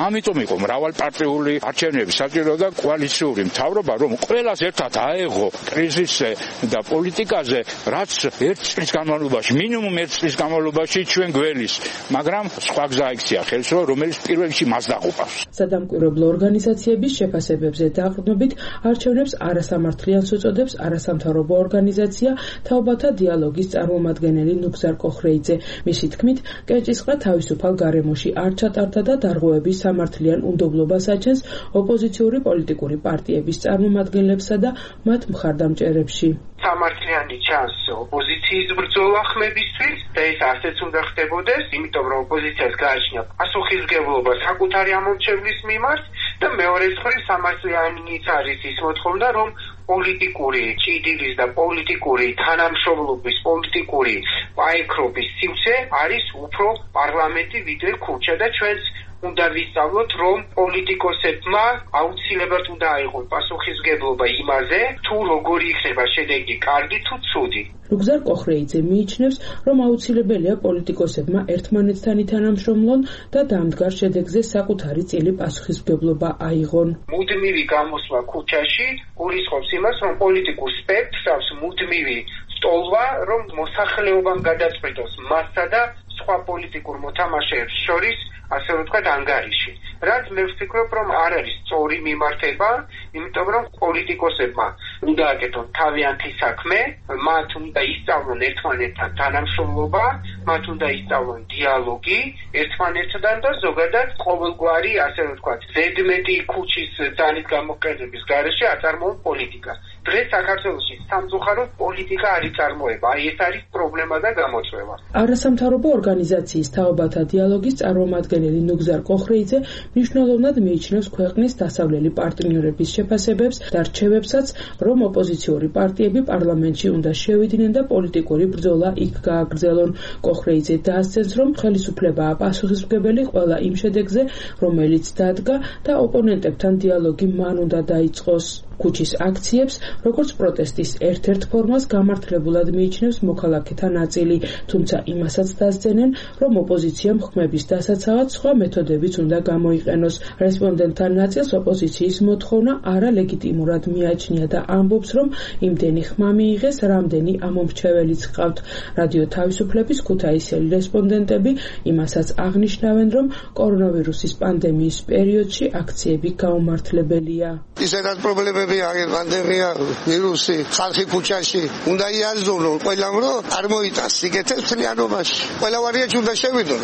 ამიტომ იყო მრავალპარტიული არჩევნები საჭირო და კოალიციური მთავრობა, რომ ყველას ერთად აეღო კრიზისზე და პოლიტიკაზე, რაც ერთ წლის განმავლობაში, მინიმუმ ერთ წლის განმავლობაში ჩვენ გველის, მაგრამ სხვა გზა იქცია ხელს, რომელიც პირველში მას დაყუპავს. სადამკვირვებლო ორგანიზაციების შეფასებებზე დაყრდნობით არჩევნებს არასამართლიანს უწოდებს არასამთავრობო ორგანიზაცია თაობათა დიალოგის წარმომადგენელი ნუგზარ კოხრეიძე. მისი თქმით, კეჭისყრა თავისუფალ გარემოში არ ჩატარდა და დარღვევების სამართლიან უნდობლობას აჩენს ოპოზიციური პოლიტიკური პარტიების წარმომადგენლებსა და მათ მხარდამჭერებში. სამართლიანი ჩანს ოპოზიციის ბრძოლა ხმებისთვის და ეს ასეც უნდა ხდებოდეს, იმიტომ რომ ოპოზიციას გააჩნია პასუხისმგებლობა საკუთარი ამორჩევლის მიმართ და მეორე მხრივ სამართლიანიც არის ის მოთხოვნა, რომ პოლიტიკური ჭიდილის და პოლიტიკური თანამშრომლობის, პოლიტიკური პაექრობის სივრცე არის უფრო პარლამენტი ვიდრე ქუჩა და ჩვენს უნდა ვისწავლოთ, რომ პოლიტიკოსებმა აუცილებლად უნდა აიღონ პასუხისმგებლობა იმაზე, თუ როგორი იქნება შედეგი, კარგი თუ ცუდი. ლუგზარ კოხრეიძე მიიჩნევს, რომ აუცილებელია პოლიტიკოსებმა ერთმანეთთან ითანამშრომლონ და დამდგარ შედეგზე საკუთარი წილი პასუხისმგებლობა აიღონ. მუდმივი გამოსვლა ქუჩაში გულისხმობს იმას, რომ პოლიტიკურ სპექტრს აქვს მუდმივი სტოლვა, რომ მოსახლეობამ გადაწყვიტოს მასსა და სხვა პოლიტიკურ მოთამაშეებს შორის ასე ვთქვათ ანგარიში. რაც მე ვფიქრობ, რომ არ არის სწორი მიმართება, იმიტომ რომ პოლიტიკოსებმა უნდა აკეთონ თავიანთი საქმე, მათ უნდა ისწავლონ ერთმანეთთან თანამშრომლობა, მათ უნდა ისწავლონ დიალოგი ერთმანეთთან და ზოგადად ყოველგვარი ასე ვთქვათ ზედმეტი ქუჩის ძალით გამოყენების გარეშე აწარმოონ პოლიტიკას. დღეს საქართველოში სამწუხაროდ პოლიტიკა არ იწარმოება. აი ეს არის პრობლემა და გამოწვევა. არასამთავრობო ორგანიზაციის თაობათა დიალოგის წარმომადგენელი ნუგზარ კოხრეიძე მნიშვნელოვნად მიიჩნევს ქვეყნის დასავლელი პარტნიორების შეფასებებს და რჩევებსაც, რომ ოპოზიციური პარტიები პარლამენტში უნდა შევიდნენ და პოლიტიკური ბრძოლა იქ გააგრძელონ. კოხრეიძე დაასცენს, რომ ხელისუფლებაა პასუხისმგებელი ყველა იმ შედეგზე, რომელიც დადგა და ოპონენტებთან დიალოგი მან უნდა დაიწყოს. ქუჩის აქციებს, როგორც პროტესტის ერთ-ერთ ფორმას გამართლებულად მიიჩნევს მოქალაქეთა ნაწილი, თუმცა იმასაც დასძენენ, რომ ოპოზიციამ ხმების დასაცავად სხვა მეთოდებიც უნდა გამოიყენოს. რესპონდენტთა ნაწილს ოპოზიციის მოთხოვნა არალეგიტიმურად მიაჩნია და ამბობს, რომ იმდენი ხმა მიიღეს, რამდენი ამომრჩეველიც ჰყავთ. რადიო თავისუფლების ქუთაისელი რესპონდენტები იმასაც აღნიშნავენ, რომ კორონავირუსის პანდემიის პერიოდში აქციები გაუმართლებელია. ისედაც პრობლემები არის, პანდემია, ვირუსი, ხალხი ქუჩაში უნდა იაზრონ ყველამ, რომ არ მოიტანს სიგეთეს მთლიანობაში. ყველა ვარიანტი უნდა შევიდონ.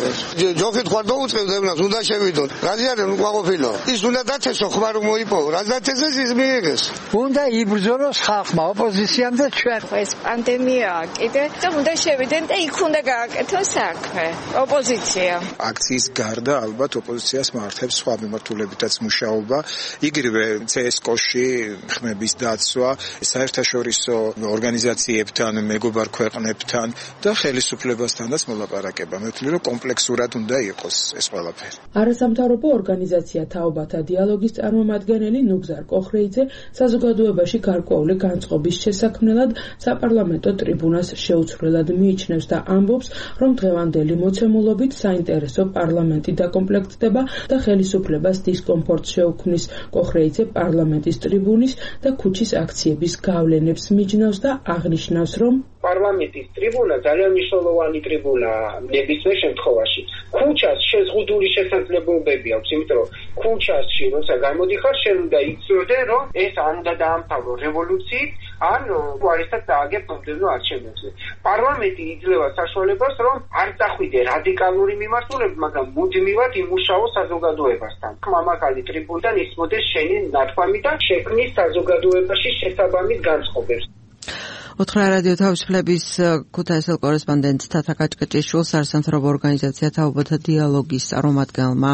ჯოხით ხარ დაუწყებდნას უნდა შევიდონ. რაზიანენ უკმაყოფილო. ის უნდა დათესო ხმა რომ მოიპოვო. რაც დათესეს ის მიიღეს. უნდა იბრძოლოს ხალხმა, ოპოზიციამ და ჩვენ. ეს პანდემიაა კიდე და უნდა შევიდენ და იქ უნდა გააკეთონ საქმე. ოპოზიცია. აქციის გარდა ალბათ ოპოზიციას მართებს სხვა მიმართულებითაც მუშაობა. იგივე CSKO-ში ხმების დაცვა, საერთაშორისო ორგანიზაციებთან, მეგობარ ქვეყნებთან და ხელისუფლებასთანაც მოლაპარაკება. მე ვთვლი, რომ კომპლექსურად უნდა იყოს ეს ყველაფერი. არასამთავრობო ორგანიზაცია თაობათა დიალოგის წარმომადგენელი ნუგზარ კოხრეიძე საზოგადოებაში გარკვეული განწყობის შესაქმნელად საპარლამენტო ტრიბუნას შეუცვლელად მიიჩნევს და ამბობს, რომ დღევანდელი მოცემულობით საინტერესო პარლამენტი დაკომპლექტდება და ხელისუფლებას დისკომფორტს შეუქმნის. კოხრეიძე პარლამენტის ტრიბუნის და ქუჩის აქციების გავლენებს მიჯნავს და აღნიშნავს, რომ პარლამენტის ტრიბუნა ძალიან მნიშვნელოვანი ტრიბუნაა ნებისმიერ შემთხვევაში. ქუჩას შეზღუდული შესაძლებლობები აქვს, იმიტომ რომ ქუჩაში როცა გამოდიხარ, შენ უნდა იცოდე, რომ ეს არ უნდა დაამთავრო რევოლუციით, ან უარესად დააგებ მომდევნო არჩევნებზე. პარლამენტი იძლევა საშუალებას, რომ არ წახვიდე რადიკალური მიმართულებით, მაგრამ მუდმივად იმუშაო საზოგადოებასთან. მამაკალი ტრიბუნიდან ისმოდეს შენი ნათქვამი და შექმნის საზოგადოებაში შესაბამის განწყობებს. უთხრა რადიო თავისუფლების ქუთაისელ კორესპონდენტ თათა კაჭკაჭიშვილს არასამთავრობო ორგანიზაცია თაობათა დიალოგის წარმომადგენელმა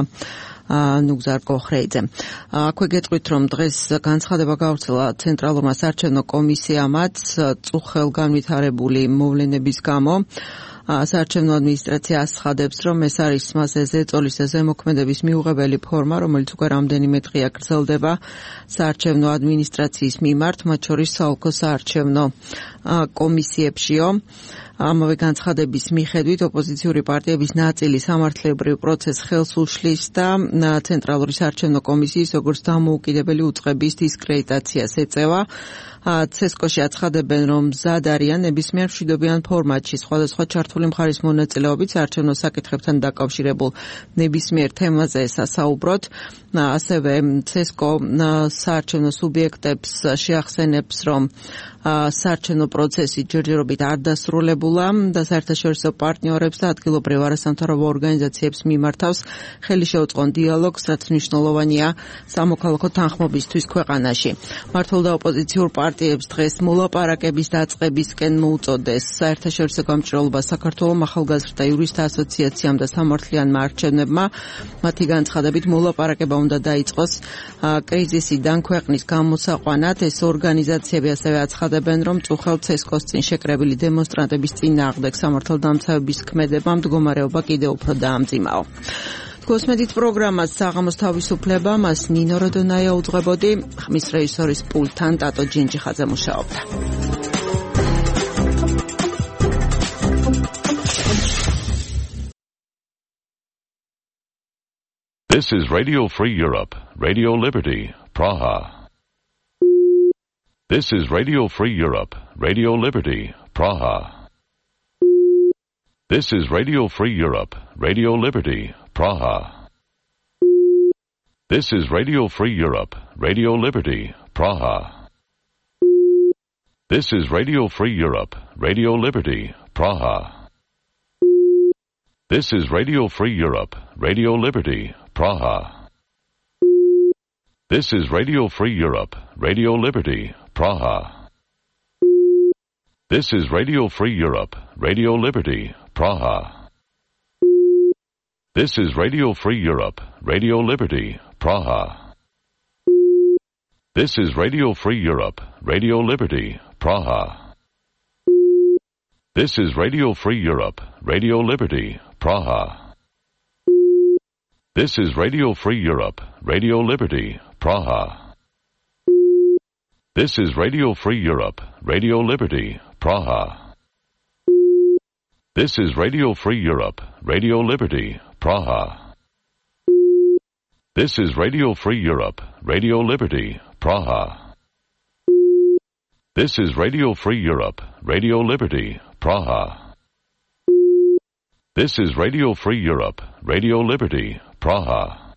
ნუგზარ კოხრეიძემ. აქვე გეტყვით, რომ დღეს განცხადება გავრცელა ცენტრალურმა საარჩევნო კომისიამაც წუხელგანვითარებული მოვლენების გამო. საარჩევნო ადმინისტრაცია აცხადებს, რომ ეს არის მასზე ზეწოლის და ზემოქმედების მიუღებელი ფორმა, რომელიც უკვე რამდენიმე დღეა გრძელდება საარჩევნო ადმინისტრაციის მიმართ, მათ შორის საოლქო საარჩევნო კომისიებშიო. ამავე განცხადების მიხედვით ოპოზიციური პარტიების ნაწილი სამართლებრივ პროცესს ხელს უშლის და ცენტრალური საარჩევნო კომისიის როგორც დამოუკიდებელი უწყების დისკრედიტაციას ეწევა. CSKO-ში აცხადებენ, რომ მზად არიან ნებისმიერ მშვიდობიან ფორმატში სხვადასხვა ჩართული მხარის მონაწილეობით საარჩევნო საკითხებთან დაკავშირებულ ნებისმიერ თემაზე სასაუბროთ. ასევე CSKO საარჩევნო სუბიექტებს შეახსენებს, რომ საარჩევნო პროცესი ჯერჯერობით არ დასრულებულა შეცვლა და საერთაშორისო პარტნიორებს და ადგილობრივ არასამთავრობო ორგანიზაციებს მიმართავს ხელი შეუწყონ დიალოგს, რაც მნიშვნელოვანია სამოქალაქო თანხმობისთვის ქვეყანაში. მართულ და ოპოზიციურ პარტიებს დღეს მოლაპარაკების დაწყებისკენ მოუწოდეს საერთაშორისო გამჭირვალობა საქართველოს ახალგაზრდა იურისტთა ასოციაციამ და სამართლიანმა არჩევნებმა. მათი განცხადებით მოლაპარაკება უნდა დაიწყოს კრიზისიდან ქვეყნის გამოსაყვანად. ეს ორგანიზაციები ასევე აცხადებენ, რომ წუხელ ცესკოს წინ შეკრებილი დემონსტრანტების წინააღმდეგ სამართალდამცავების ქმედება მდგომარეობა კიდევ უფრო დაამძიმაო. კოსმედით პროგრამას საღამოს თავისუფლება, მას ნინო როდონაია უძღვებოდი, ხმის რეჟისორის პულტთან ტატო ჯინჯიხაძე მუშაობდა. This is Radio Free Europe, Radio Liberty, Praha. This is Radio Free Europe, Radio Liberty, Praha. This is Radio Free Europe, Radio Liberty, Praha. This is Radio Free Europe, Radio Liberty, Praha. This is Radio Free Europe, Radio Liberty, Praha. This is Radio Free Europe, Radio Liberty, Praha. This is Radio Free Europe, Radio Liberty, Praha. This is Radio Free Europe, Radio Liberty, Praha. This is Radio Free Europe, Radio Liberty, Praha. This is Radio Free Europe, Radio Liberty, Praha. This is Radio Free Europe, Radio Liberty, Praha. This is Radio Free Europe, Radio Liberty, Praha. This is Radio Free Europe, Radio Liberty, Praha. This is Radio Free Europe, Radio Liberty, Praha. This is Radio Free Europe, Radio Liberty, Praha. This is Radio Free Europe, Radio Liberty, Praha.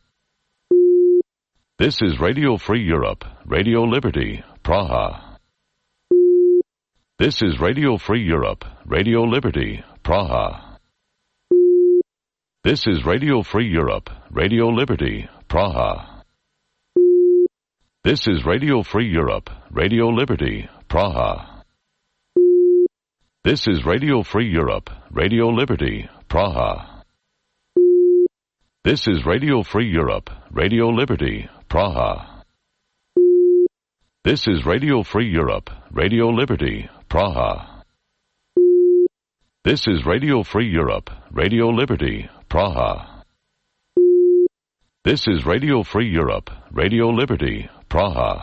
This is Radio Free Europe, Radio Liberty, Praha. This is Radio Free Europe, Radio Liberty, Praha. This is Radio Free Europe, Radio Liberty, Praha. This is Radio Free Europe, Radio Liberty, Praha. This is Radio Free Europe, Radio Liberty, Praha. This is Radio Free Europe, Radio Liberty, Praha. This is Radio Free Europe, Radio Liberty, Praha. This is Radio Free Europe, Radio Liberty, Praha. This is Radio Free Europe, Radio Liberty, Praha. This is Radio Free Europe, Radio Liberty, Praha.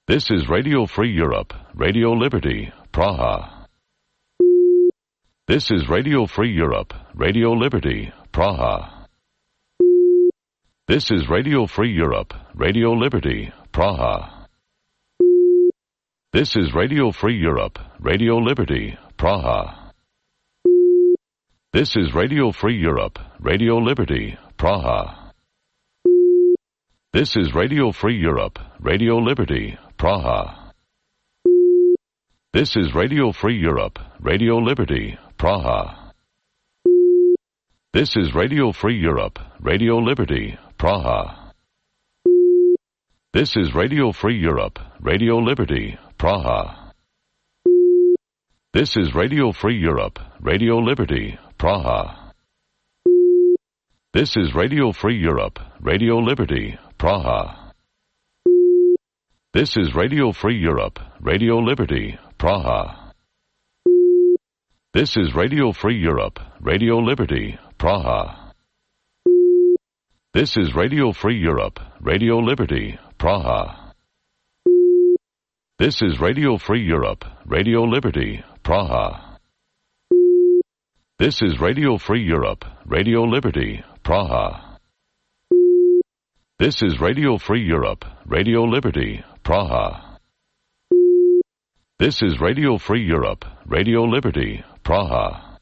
This is Radio Free Europe, Radio Liberty, Praha. This is Radio Free Europe, Radio Liberty, Praha. This is Radio Free Europe, Radio Liberty, Praha. This is Radio Free Europe, Radio Liberty, Praha. This is Radio Free Europe, Radio Liberty, Praha. This is Radio Free Europe, Radio Liberty, Praha. This is Radio Free Europe, Radio Liberty, Praha. This is Radio Free Europe, Radio Liberty, Praha. This is Radio Free Europe, Radio Liberty, Praha. This is Radio Free Europe, Radio Liberty, Praha. This is Radio Free Europe, Radio Liberty, Praha. This is Radio Free Europe, Radio Liberty, Praha. This is Radio Free Europe, Radio Liberty, Praha. This is Radio Free Europe, Radio Liberty, Praha. This is Radio Free Europe, Radio Liberty, Praha. This is Radio Free Europe, Radio Liberty, Praha. This is Radio Free Europe, Radio Liberty, Praha. This is Radio Free Europe, Radio Liberty, Praha. This is Radio Free Europe, Radio Liberty, Praha.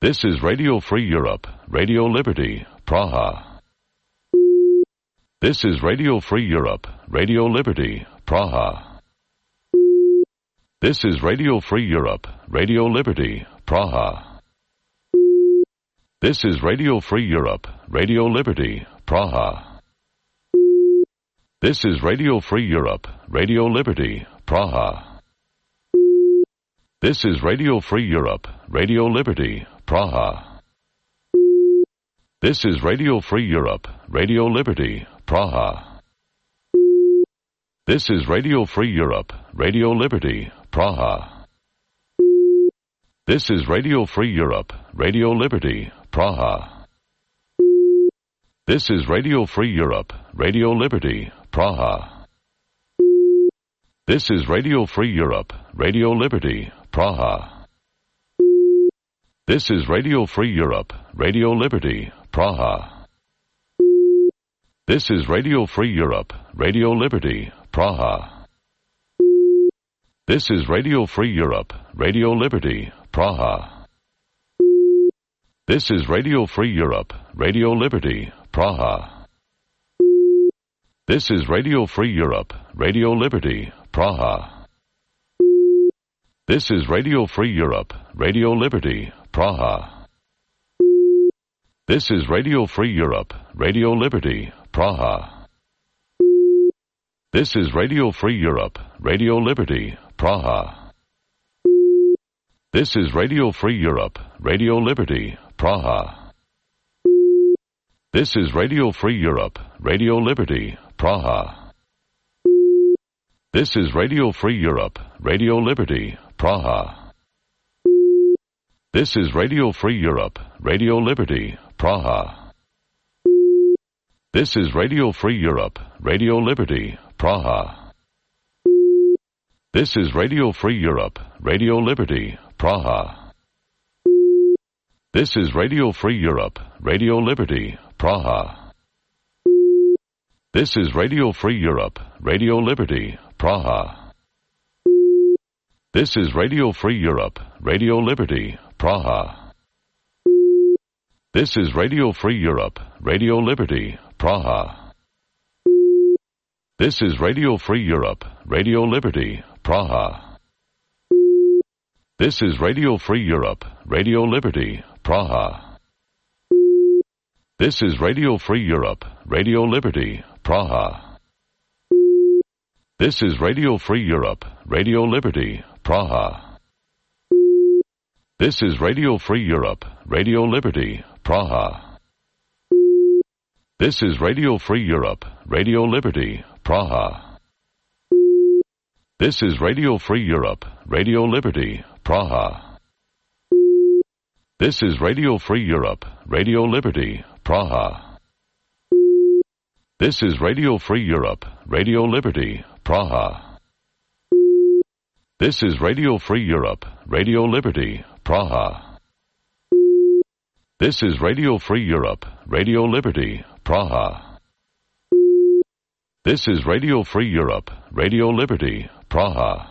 This is Radio Free Europe, Radio Liberty, Praha. This is Radio Free Europe, Radio Liberty, Praha. This is Radio Free Europe, Radio Liberty, Praha. This is Radio Free Europe, Radio Liberty, Praha. This is Radio Free Europe, Radio Liberty, Praha. This is Radio Free Europe, Radio Liberty, Praha. This is Radio Free Europe, Radio Liberty, Praha. This is Radio Free Europe, Radio Liberty, Praha. This is Radio Free Europe, Radio Liberty, Praha. This is Radio Free Europe, Radio Liberty, Praha. This is Radio Free Europe, Radio Liberty, Praha. This is Radio Free Europe, Radio Liberty, Praha. This is Radio Free Europe, Radio Liberty, Praha. This is Radio Free Europe, Radio Liberty, Praha. This is Radio Free Europe, Radio Liberty, Praha. This is Radio Free Europe, Radio Liberty, Praha. This is Radio Free Europe, Radio Liberty, Praha. This is Radio Free Europe, Radio Liberty, Praha. This is Radio Free Europe, Radio Liberty, Praha. This is Radio Free Europe, Radio Liberty, Praha. This is Radio Free Europe, Radio Liberty, Praha. This is Radio Free Europe, Radio Liberty, Praha. This is Radio Free Europe, Radio Liberty, Praha. This is Radio Free Europe, Radio Liberty, Praha. This is Radio Free Europe, Radio Liberty, Praha. This is Radio Free Europe, Radio Liberty, Praha. This is Radio Free Europe, Radio Liberty, Praha. This is Radio Free Europe, Radio Liberty, Praha. This is Radio Free Europe, Radio Liberty, Praha. This is Radio Free Europe, Radio Liberty, Praha. This is Radio Free Europe, Radio Liberty, Praha. This is Radio Free Europe, Radio Liberty, Praha. This is Radio Free Europe, Radio Liberty, Praha. This is Radio Free Europe, Radio Liberty, Praha. This is Radio Free Europe, Radio Liberty, Praha. This is Radio Free Europe, Radio Liberty, Praha. This is Radio Free Europe, Radio Liberty, Praha. This is Radio Free Europe, Radio Liberty, Praha. This is Radio Free Europe, Radio Liberty, Praha. This is Radio Free Europe, Radio Liberty, Praha. This is Radio Free Europe, Radio Liberty, Praha.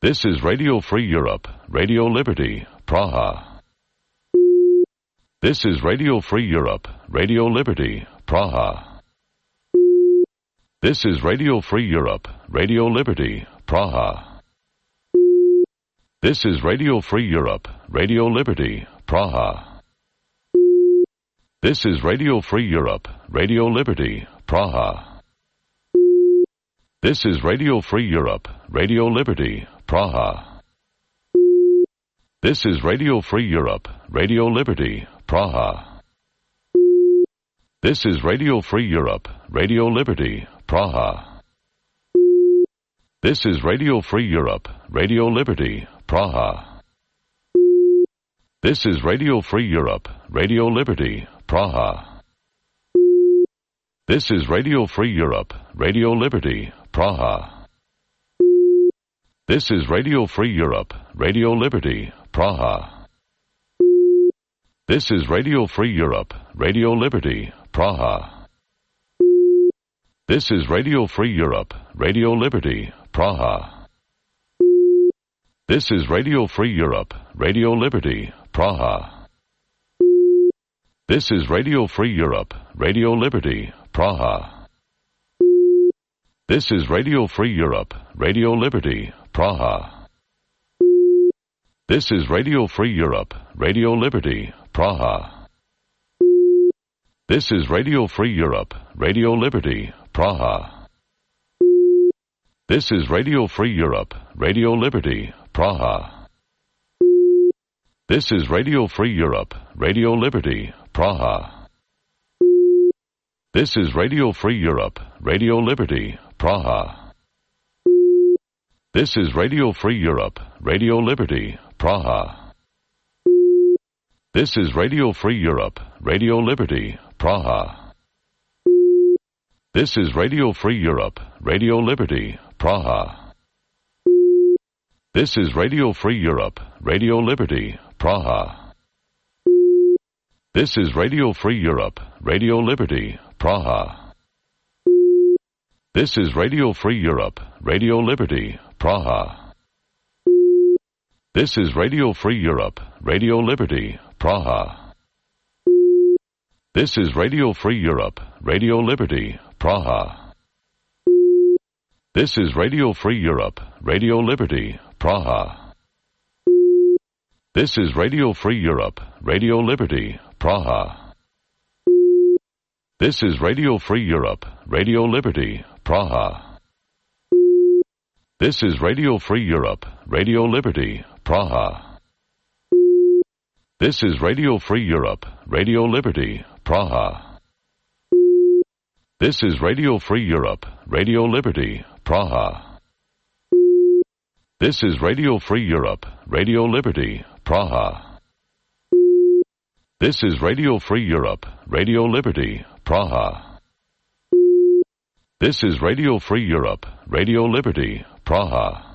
This is Radio Free Europe, Radio Liberty, Praha. This is Radio Free Europe, Radio Liberty, Praha. This is Radio Free Europe, Radio Liberty, Praha. This is Radio Free Europe, Radio Liberty, Praha. This is Radio Free Europe, Radio Liberty, Praha. This is Radio Free Europe, Radio Liberty, Praha. This is Radio Free Europe, Radio Liberty, Praha. This is Radio Free Europe, Radio Liberty, Praha. This is Radio Free Europe, Radio Liberty, Praha. This is Radio Free Europe, Radio Liberty, Praha. This is Radio Free Europe, Radio Liberty, Praha. This is Radio Free Europe, Radio Liberty, Praha. This is Radio Free Europe, Radio Liberty, Praha. This is Radio Free Europe, Radio Liberty, Praha. This is Radio Free Europe, Radio Liberty, Praha. This is Radio Free Europe, Radio Liberty, Praha. This is Radio Free Europe, Radio Liberty, Praha. This is Radio Free Europe, Radio Liberty, Praha. This is Radio Free Europe, Radio Liberty, Praha. This is Radio Free Europe, Radio Liberty, Praha. This is Radio Free Europe, Radio Liberty, Praha. This is Radio Free Europe, Radio Liberty, Praha. This is Radio Free Europe, Radio Liberty, Praha. This is Radio Free Europe, Radio Liberty, Praha. This is Radio Free Europe, Radio Liberty, Praha. This is Radio Free Europe, Radio Liberty, Praha. This is Radio Free Europe, Radio Liberty, Praha. This is Radio Free Europe, Radio Liberty, Praha. This is Radio Free Europe, Radio Liberty, Praha. This is Radio Free Europe, Radio Liberty, Praha. This is Radio Free Europe, Radio Liberty, Praha. This is Radio Free Europe, Radio Liberty, Praha. This is Radio Free Europe, Radio Liberty, Praha. This is Radio Free Europe, Radio Liberty, Praha. This is Radio Free Europe, Radio Liberty, Praha. This is Radio Free Europe, Radio Liberty, Praha. This is Radio Free Europe, Radio Liberty, Praha. This is Radio Free Europe, Radio Liberty, Praha. This is Radio Free Europe, Radio Liberty, Praha. This is Radio Free Europe, Radio Liberty, Praha.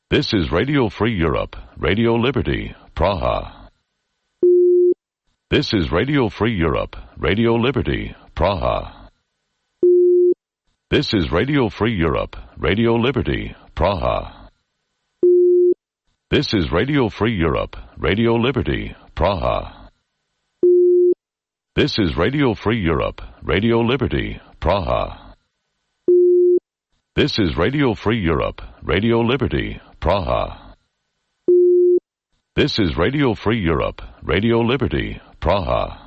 This is Radio Free Europe, Radio Liberty, Praha. This is Radio Free Europe, Radio Liberty, Praha. This is Radio Free Europe, Radio Liberty, Praha. This is Radio Free Europe, Radio Liberty, Praha. This is Radio Free Europe, Radio Liberty, Praha. This is Radio Free Europe, Radio Liberty, Praha.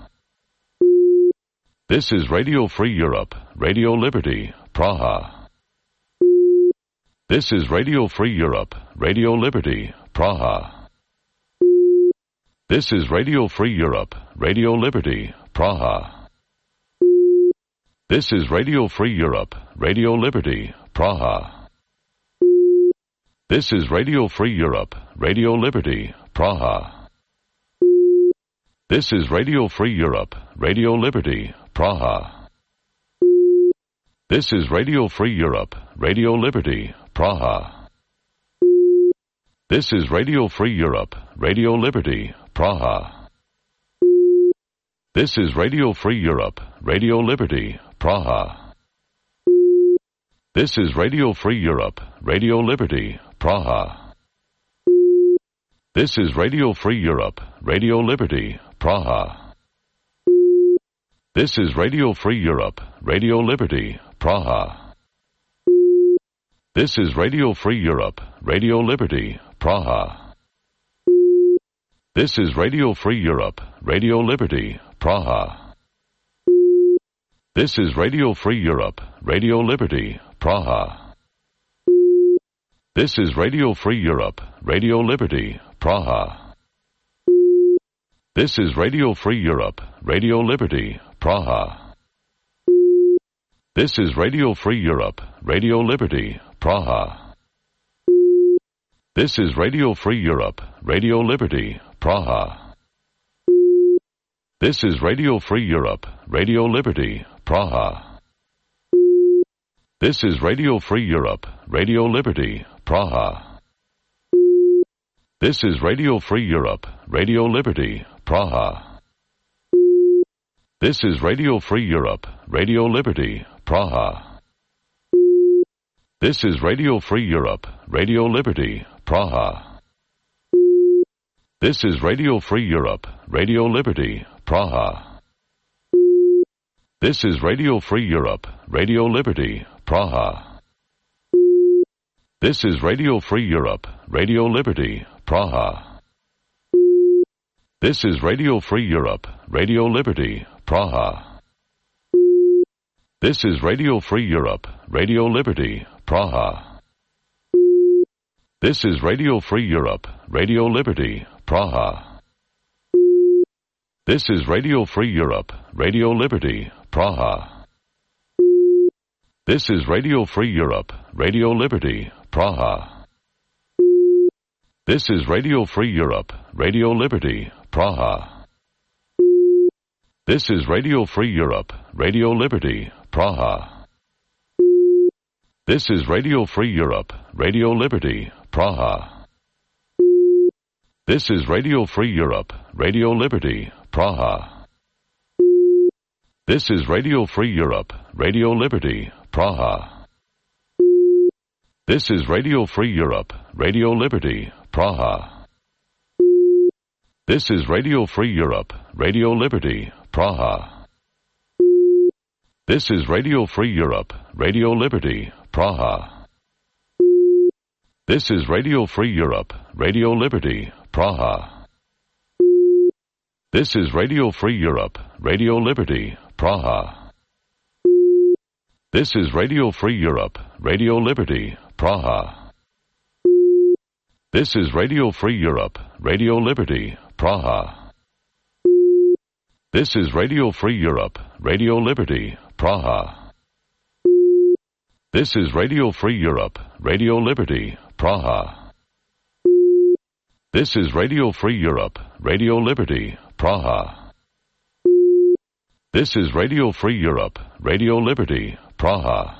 This is Radio Free Europe, Radio Liberty, Praha. This is Radio Free Europe, Radio Liberty, Praha. This is Radio Free Europe, Radio Liberty, Praha. This is Radio Free Europe, Radio Liberty, Praha. This is Radio Free Europe, Radio Liberty, Praha. This is Radio Free Europe, Radio Liberty, Praha. This is Radio Free Europe, Radio Liberty, Praha. This is Radio Free Europe, Radio Liberty, Praha. This is Radio Free Europe, Radio Liberty, Praha. This is Radio Free Europe, Radio Liberty, Praha. This is Radio Free Europe, Radio Liberty, Praha. This is Radio Free Europe, Radio Liberty, Praha. This is Radio Free Europe, Radio Liberty, Praha. This is Radio Free Europe, Radio Liberty, Praha. This is Radio Free Europe, Radio Liberty, Praha. This is Radio Free Europe, Radio Liberty, Praha. This is Radio Free Europe, Radio Liberty, Praha. This is Radio Free Europe, Radio Liberty, Praha. This is Radio Free Europe, Radio Liberty, Praha. This is Radio Free Europe, Radio Liberty, Praha. This is Radio Free Europe, Radio Liberty, Praha. This is Radio Free Europe, Radio Liberty, Praha. This is Radio Free Europe, Radio Liberty, Praha. This is Radio Free Europe, Radio Liberty, Praha. This is Radio Free Europe, Radio Liberty, Praha. This is Radio Free Europe, Radio Liberty, Praha. This is Radio Free Europe, Radio Liberty, Praha. This is Radio Free Europe, Radio Liberty, Praha. This is Radio Free Europe, Radio Liberty, Praha. This is Radio Free Europe, Radio Liberty, Praha. This is Radio Free Europe, Radio Liberty, Praha. This is Radio Free Europe, Radio Liberty, Praha. This is Radio Free Europe, Radio Liberty, Praha. This is Radio Free Europe, Radio Liberty, Praha. This is Radio Free Europe, Radio Liberty, Praha. This is Radio Free Europe, Radio Liberty, Praha. This is Radio Free Europe, Radio Liberty, Praha. This is Radio Free Europe, Radio Liberty, Praha. This is Radio Free Europe, Radio Liberty, Praha. This is Radio Free Europe, Radio Liberty, Praha. This is Radio Free Europe, Radio Liberty, Praha. This is Radio Free Europe, Radio Liberty, Praha. This is Radio Free Europe, Radio Liberty, Praha. This is Radio Free Europe, Radio Liberty, Praha. This is Radio Free Europe, Radio Liberty, Praha. This is Radio Free Europe, Radio Liberty, Praha. This is Radio Free Europe, Radio Liberty, Praha. This is Radio Free Europe, Radio Liberty, Praha.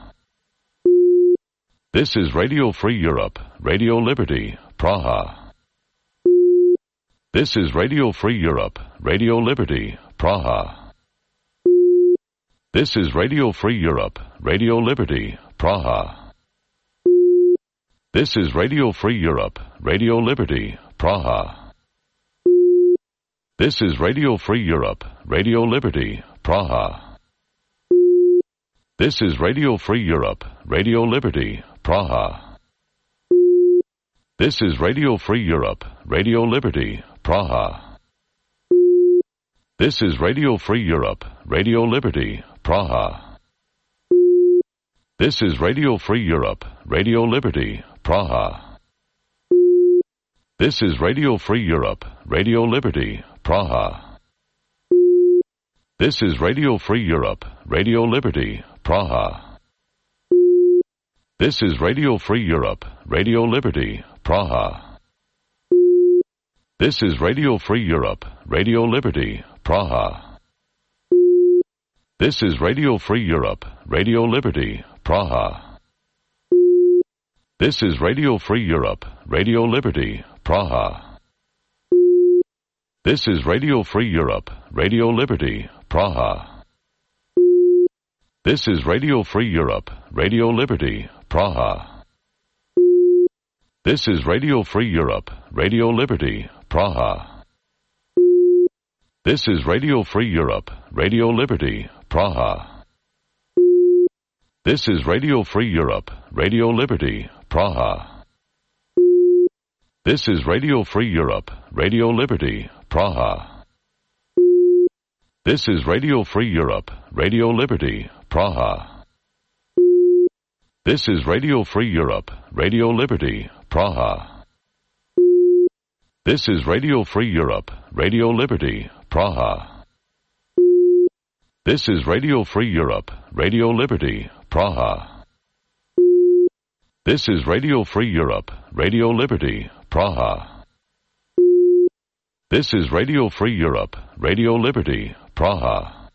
This is Radio Free Europe, Radio Liberty, Praha. This is Radio Free Europe, Radio Liberty, Praha. This is Radio Free Europe, Radio Liberty, Praha. This is Radio Free Europe, Radio Liberty, Praha. This is Radio Free Europe, Radio Liberty, Praha. This is Radio Free Europe, Radio Liberty, Praha. This is Radio Free Europe, Radio Liberty, Praha. This is Radio Free Europe, Radio Liberty, Praha. This is Radio Free Europe, Radio Liberty, Praha. This is Radio Free Europe, Radio Liberty, Praha. This is Radio Free Europe, Radio Liberty, Praha. This is Radio Free Europe, Radio Liberty, Praha. This is Radio Free Europe, Radio Liberty, Praha. This is Radio Free Europe, Radio Liberty, Praha. This is Radio Free Europe, Radio Liberty, Praha. This is Radio Free Europe, Radio Liberty, Praha. This is Radio Free Europe, Radio Liberty, Praha. This is Radio Free Europe, Radio Liberty, Praha. This is Radio Free Europe, Radio Liberty, Praha. This is Radio Free Europe, Radio Liberty, Praha. This is Radio Free Europe, Radio Liberty, Praha. This is Radio Free Europe, Radio Liberty, Praha. This is Radio Free Europe, Radio Liberty, Praha. This is Radio Free Europe, Radio Liberty, Praha. This is Radio Free Europe, Radio Liberty, Praha. This is Radio Free Europe, Radio Liberty, Praha. This is Radio Free Europe, Radio Liberty, Praha.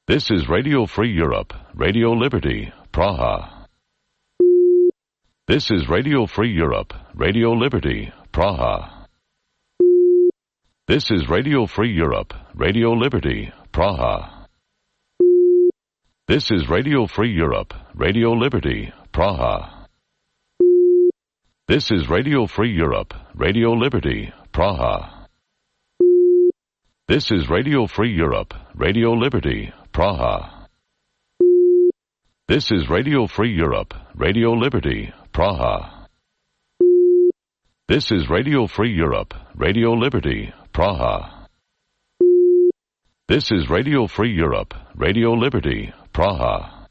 This is Radio Free Europe, Radio Liberty, Praha. This is Radio Free Europe, Radio Liberty, Praha. This is Radio Free Europe, Radio Liberty, Praha. This is Radio Free Europe, Radio Liberty, Praha. This is Radio Free Europe, Radio Liberty, Praha. This is Radio Free Europe, Radio Liberty, Praha. This is Radio Free Europe, Radio Liberty, Praha. This is Radio Free Europe, Radio Liberty, Praha. This is Radio Free Europe, Radio Liberty, Praha.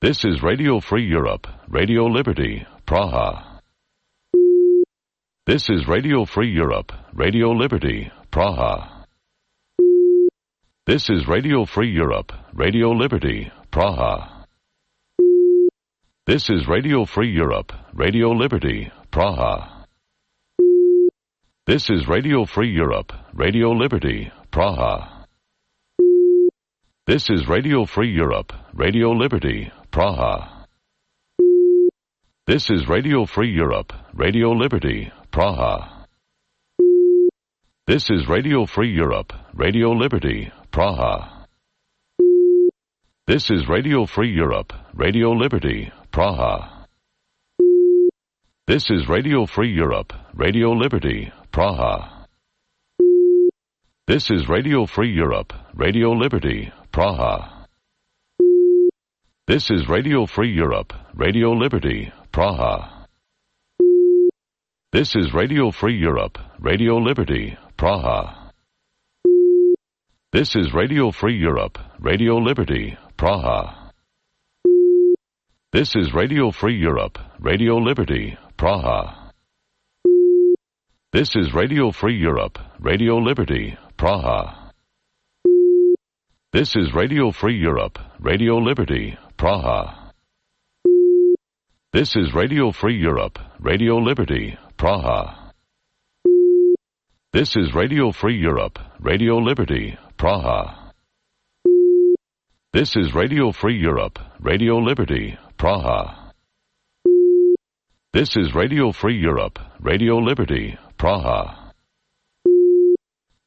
This is Radio Free Europe, Radio Liberty, Praha. This is Radio Free Europe, Radio Liberty, Praha. This is Radio Free Europe, Radio Liberty, Praha. This is Radio Free Europe, Radio Liberty, Praha. This is Radio Free Europe, Radio Liberty, Praha. This is Radio Free Europe, Radio Liberty, Praha. This is Radio Free Europe, Radio Liberty, Praha. This is Radio Free Europe, Radio Liberty, Praha. This is Radio Free Europe, Radio Liberty, Praha. This is Radio Free Europe, Radio Liberty, Praha. This is Radio Free Europe, Radio Liberty, Praha. This is Radio Free Europe, Radio Liberty, Praha. This is Radio Free Europe, Radio Liberty, Praha. This is Radio Free Europe, Radio Liberty, Praha. This is Radio Free Europe, Radio Liberty, Praha. This is Radio Free Europe, Radio Liberty, Praha. This is Radio Free Europe, Radio Liberty, Praha. This is Radio Free Europe, Radio Liberty, Praha. This is Radio Free Europe, Radio Liberty, Praha. This is Radio Free Europe, Radio Liberty, Praha. This is Radio Free Europe, Radio Liberty, Praha.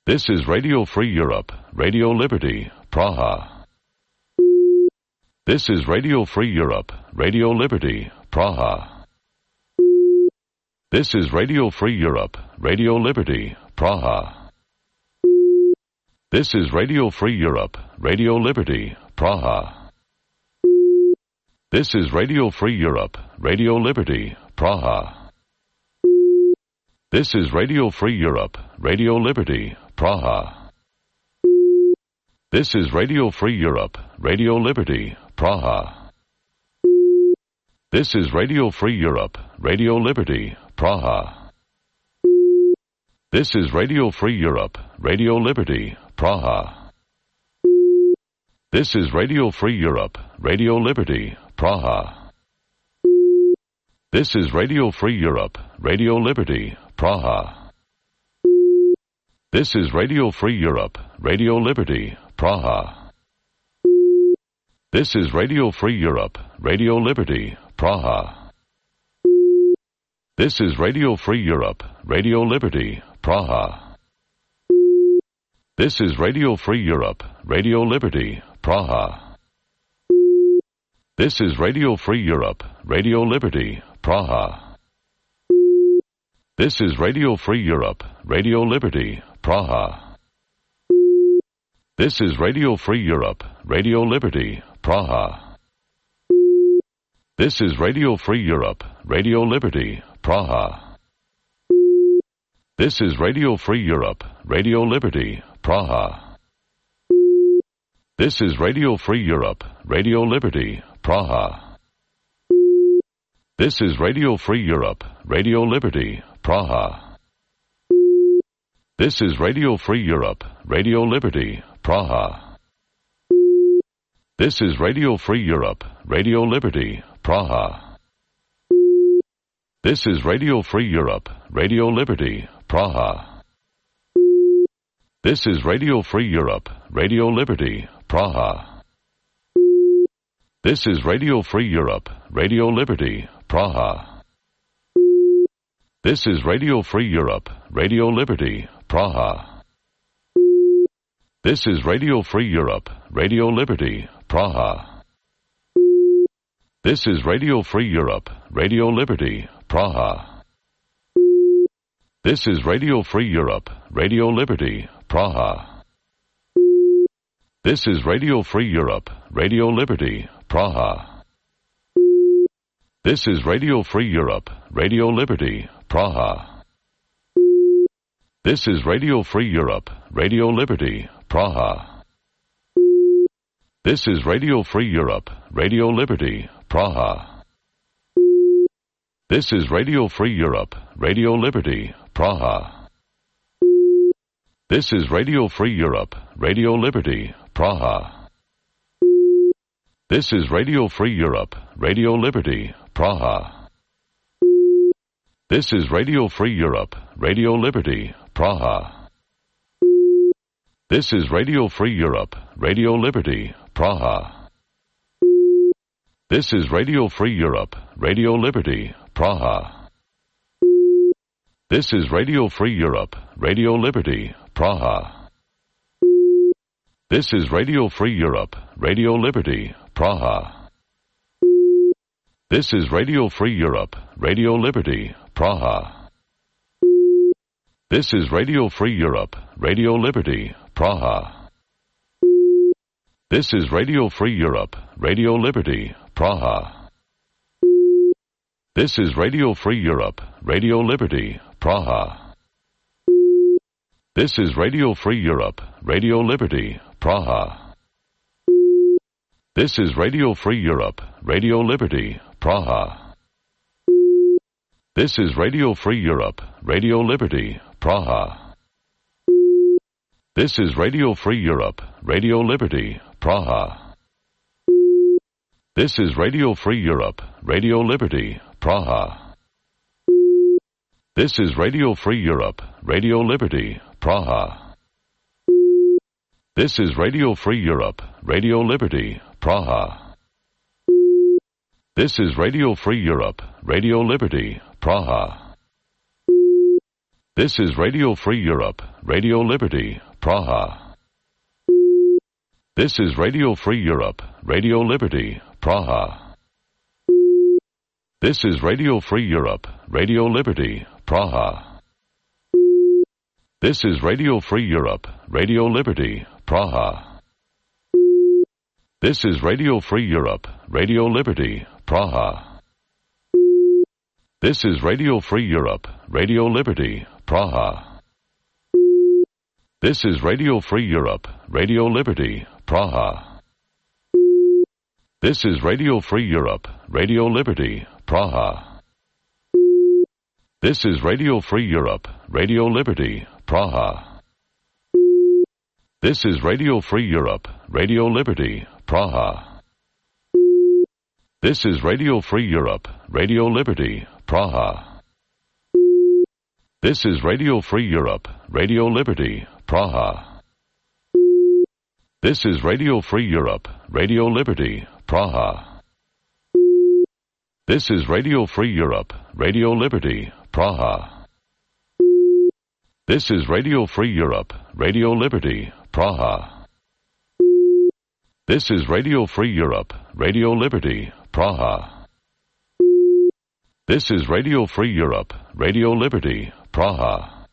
This is Radio Free Europe, Radio Liberty, Praha. This is Radio Free Europe, Radio Liberty, Praha. This is Radio Free Europe, Radio Liberty, Praha. This is Radio Free Europe, Radio Liberty, Praha. This is Radio Free Europe, Radio Liberty, Praha. This is Radio Free Europe, Radio Liberty, Praha. This is Radio Free Europe, Radio Liberty, Praha. This is Radio Free Europe, Radio Liberty, Praha. This is Radio Free Europe, Radio Liberty, Praha. This is Radio Free Europe, Radio Liberty, Praha. This is Radio Free Europe, Radio Liberty, Praha. This is Radio Free Europe, Radio Liberty, Praha. This is Radio Free Europe, Radio Liberty, Praha. This is Radio Free Europe, Radio Liberty, Praha. This is Radio Free Europe, Radio Liberty, Praha. This is Radio Free Europe, Radio Liberty, Praha. This is Radio Free Europe, Radio Liberty, Praha. This is Radio Free Europe, Radio Liberty, Praha. This is Radio Free Europe, Radio Liberty, Praha. This is Radio Free Europe, Radio Liberty, Praha. This is Radio Free Europe, Radio Liberty, Praha. This is Radio Free Europe, Radio Liberty, Praha. This is Radio Free Europe, Radio Liberty, Praha. This is Radio Free Europe, Radio Liberty, Praha. This is Radio Free Europe, Radio Liberty, Praha. This is Radio Free Europe, Radio Liberty, Praha. This is Radio Free Europe, Radio Liberty, Praha. This is Radio Free Europe, Radio Liberty, Praha. This is Radio Free Europe, Radio Liberty, Praha. This is Radio Free Europe, Radio Liberty, Praha. This is Radio Free Europe, Radio Liberty, Praha. This is Radio Free Europe, Radio Liberty, Praha. This is Radio Free Europe, Radio Liberty, Praha. This is Radio Free Europe, Radio Liberty, Praha. This is Radio Free Europe, Radio Liberty, Praha. This is Radio Free Europe, Radio Liberty, Praha. This is Radio Free Europe, Radio Liberty, Praha. This is Radio Free Europe, Radio Liberty, Praha. This is Radio Free Europe, Radio Liberty, Praha. This is Radio Free Europe, Radio Liberty, Praha. This is Radio Free Europe, Radio Liberty, Praha. This is Radio Free Europe, Radio Liberty, Praha. This is Radio Free Europe, Radio Liberty, Praha. This is Radio Free Europe, Radio Liberty, Praha. This is Radio Free Europe, Radio Liberty, Praha. This is Radio Free Europe, Radio Liberty, Praha. This is Radio Free Europe, Radio Liberty, Praha. This is Radio Free Europe, Radio Liberty, Praha. This is Radio Free Europe, Radio Liberty, Praha. This is Radio Free Europe, Radio Liberty, Praha. This is Radio Free Europe, Radio Liberty, Praha. This is Radio Free Europe, Radio Liberty, Praha. This is Radio Free Europe, Radio Liberty, Praha. This is Radio Free Europe, Radio Liberty, Praha. This is Radio Free Europe, Radio Liberty, Praha. This is Radio Free Europe, Radio Liberty, Praha. This is Radio Free Europe, Radio Liberty, Praha. This is Radio Free Europe, Radio Liberty, Praha. This is Radio Free Europe, Radio Liberty, Praha. This is Radio Free Europe, Radio Liberty, Praha. This is Radio Free Europe, Radio Liberty, Praha. This is Radio Free Europe, Radio Liberty, Praha. This is Radio Free Europe, Radio Liberty, Praha. This is Radio Free Europe, Radio Liberty, Praha. This is Radio Free Europe, Radio Liberty, Praha. This is Radio Free Europe, Radio Liberty, Praha. This is Radio Free Europe, Radio Liberty, Praha. This is Radio Free Europe, Radio Liberty, Praha. This is Radio Free Europe, Radio Liberty, Praha. This is Radio Free Europe, Radio Liberty, Praha. This is Radio Free Europe, Radio Liberty, Praha. This is Radio Free Europe, Radio Liberty, Praha.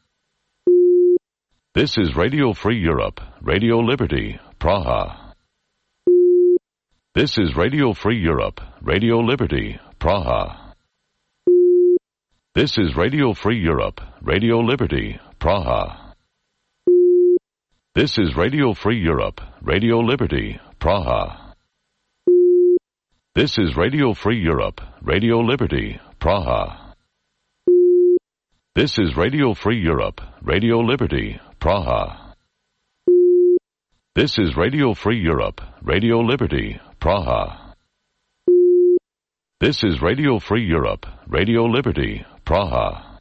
This is Radio Free Europe, Radio Liberty, Praha. This is Radio Free Europe, Radio Liberty, Praha. This is Radio Free Europe, Radio Liberty, Praha. This is Radio Free Europe, Radio Liberty, Praha. This is Radio Free Europe, Radio Liberty, Praha. This is Radio Free Europe, Radio Liberty, Praha. This is Radio Free Europe, Radio Liberty, Praha. This is Radio Free Europe, Radio Liberty, Praha.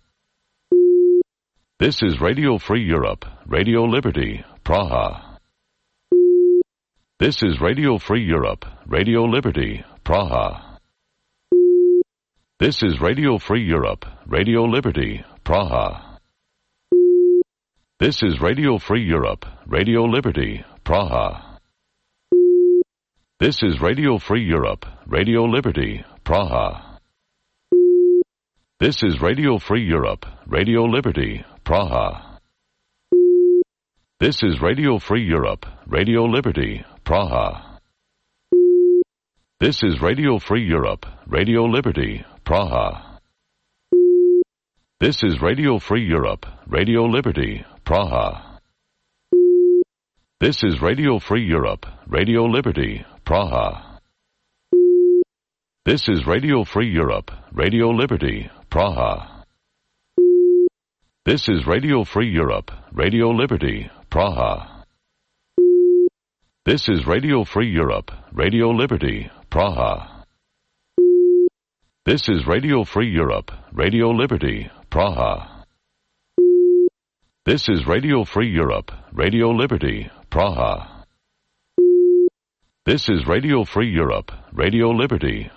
This is Radio Free Europe, Radio Liberty, Praha. This is Radio Free Europe, Radio Liberty, Praha. This is Radio Free Europe, Radio Liberty, Praha. This is Radio Free Europe, Radio Liberty, Praha. This is Radio Free Europe, Radio Liberty, Praha. This is Radio Free Europe, Radio Liberty, Praha. This is Radio Free Europe, Radio Liberty, Praha. This is Radio Free Europe, Radio Liberty, Praha. This is Radio Free Europe, Radio Liberty, Praha. This is Radio Free Europe, Radio Liberty, Praha. This is Radio Free Europe, Radio Liberty, Praha. This is Radio Free Europe, Radio Liberty, Praha. This is Radio Free Europe, Radio Liberty, Praha. This is Radio Free Europe, Radio Liberty, Praha. This is Radio Free Europe, Radio Liberty, Praha. This is Radio Free Europe, Radio Liberty,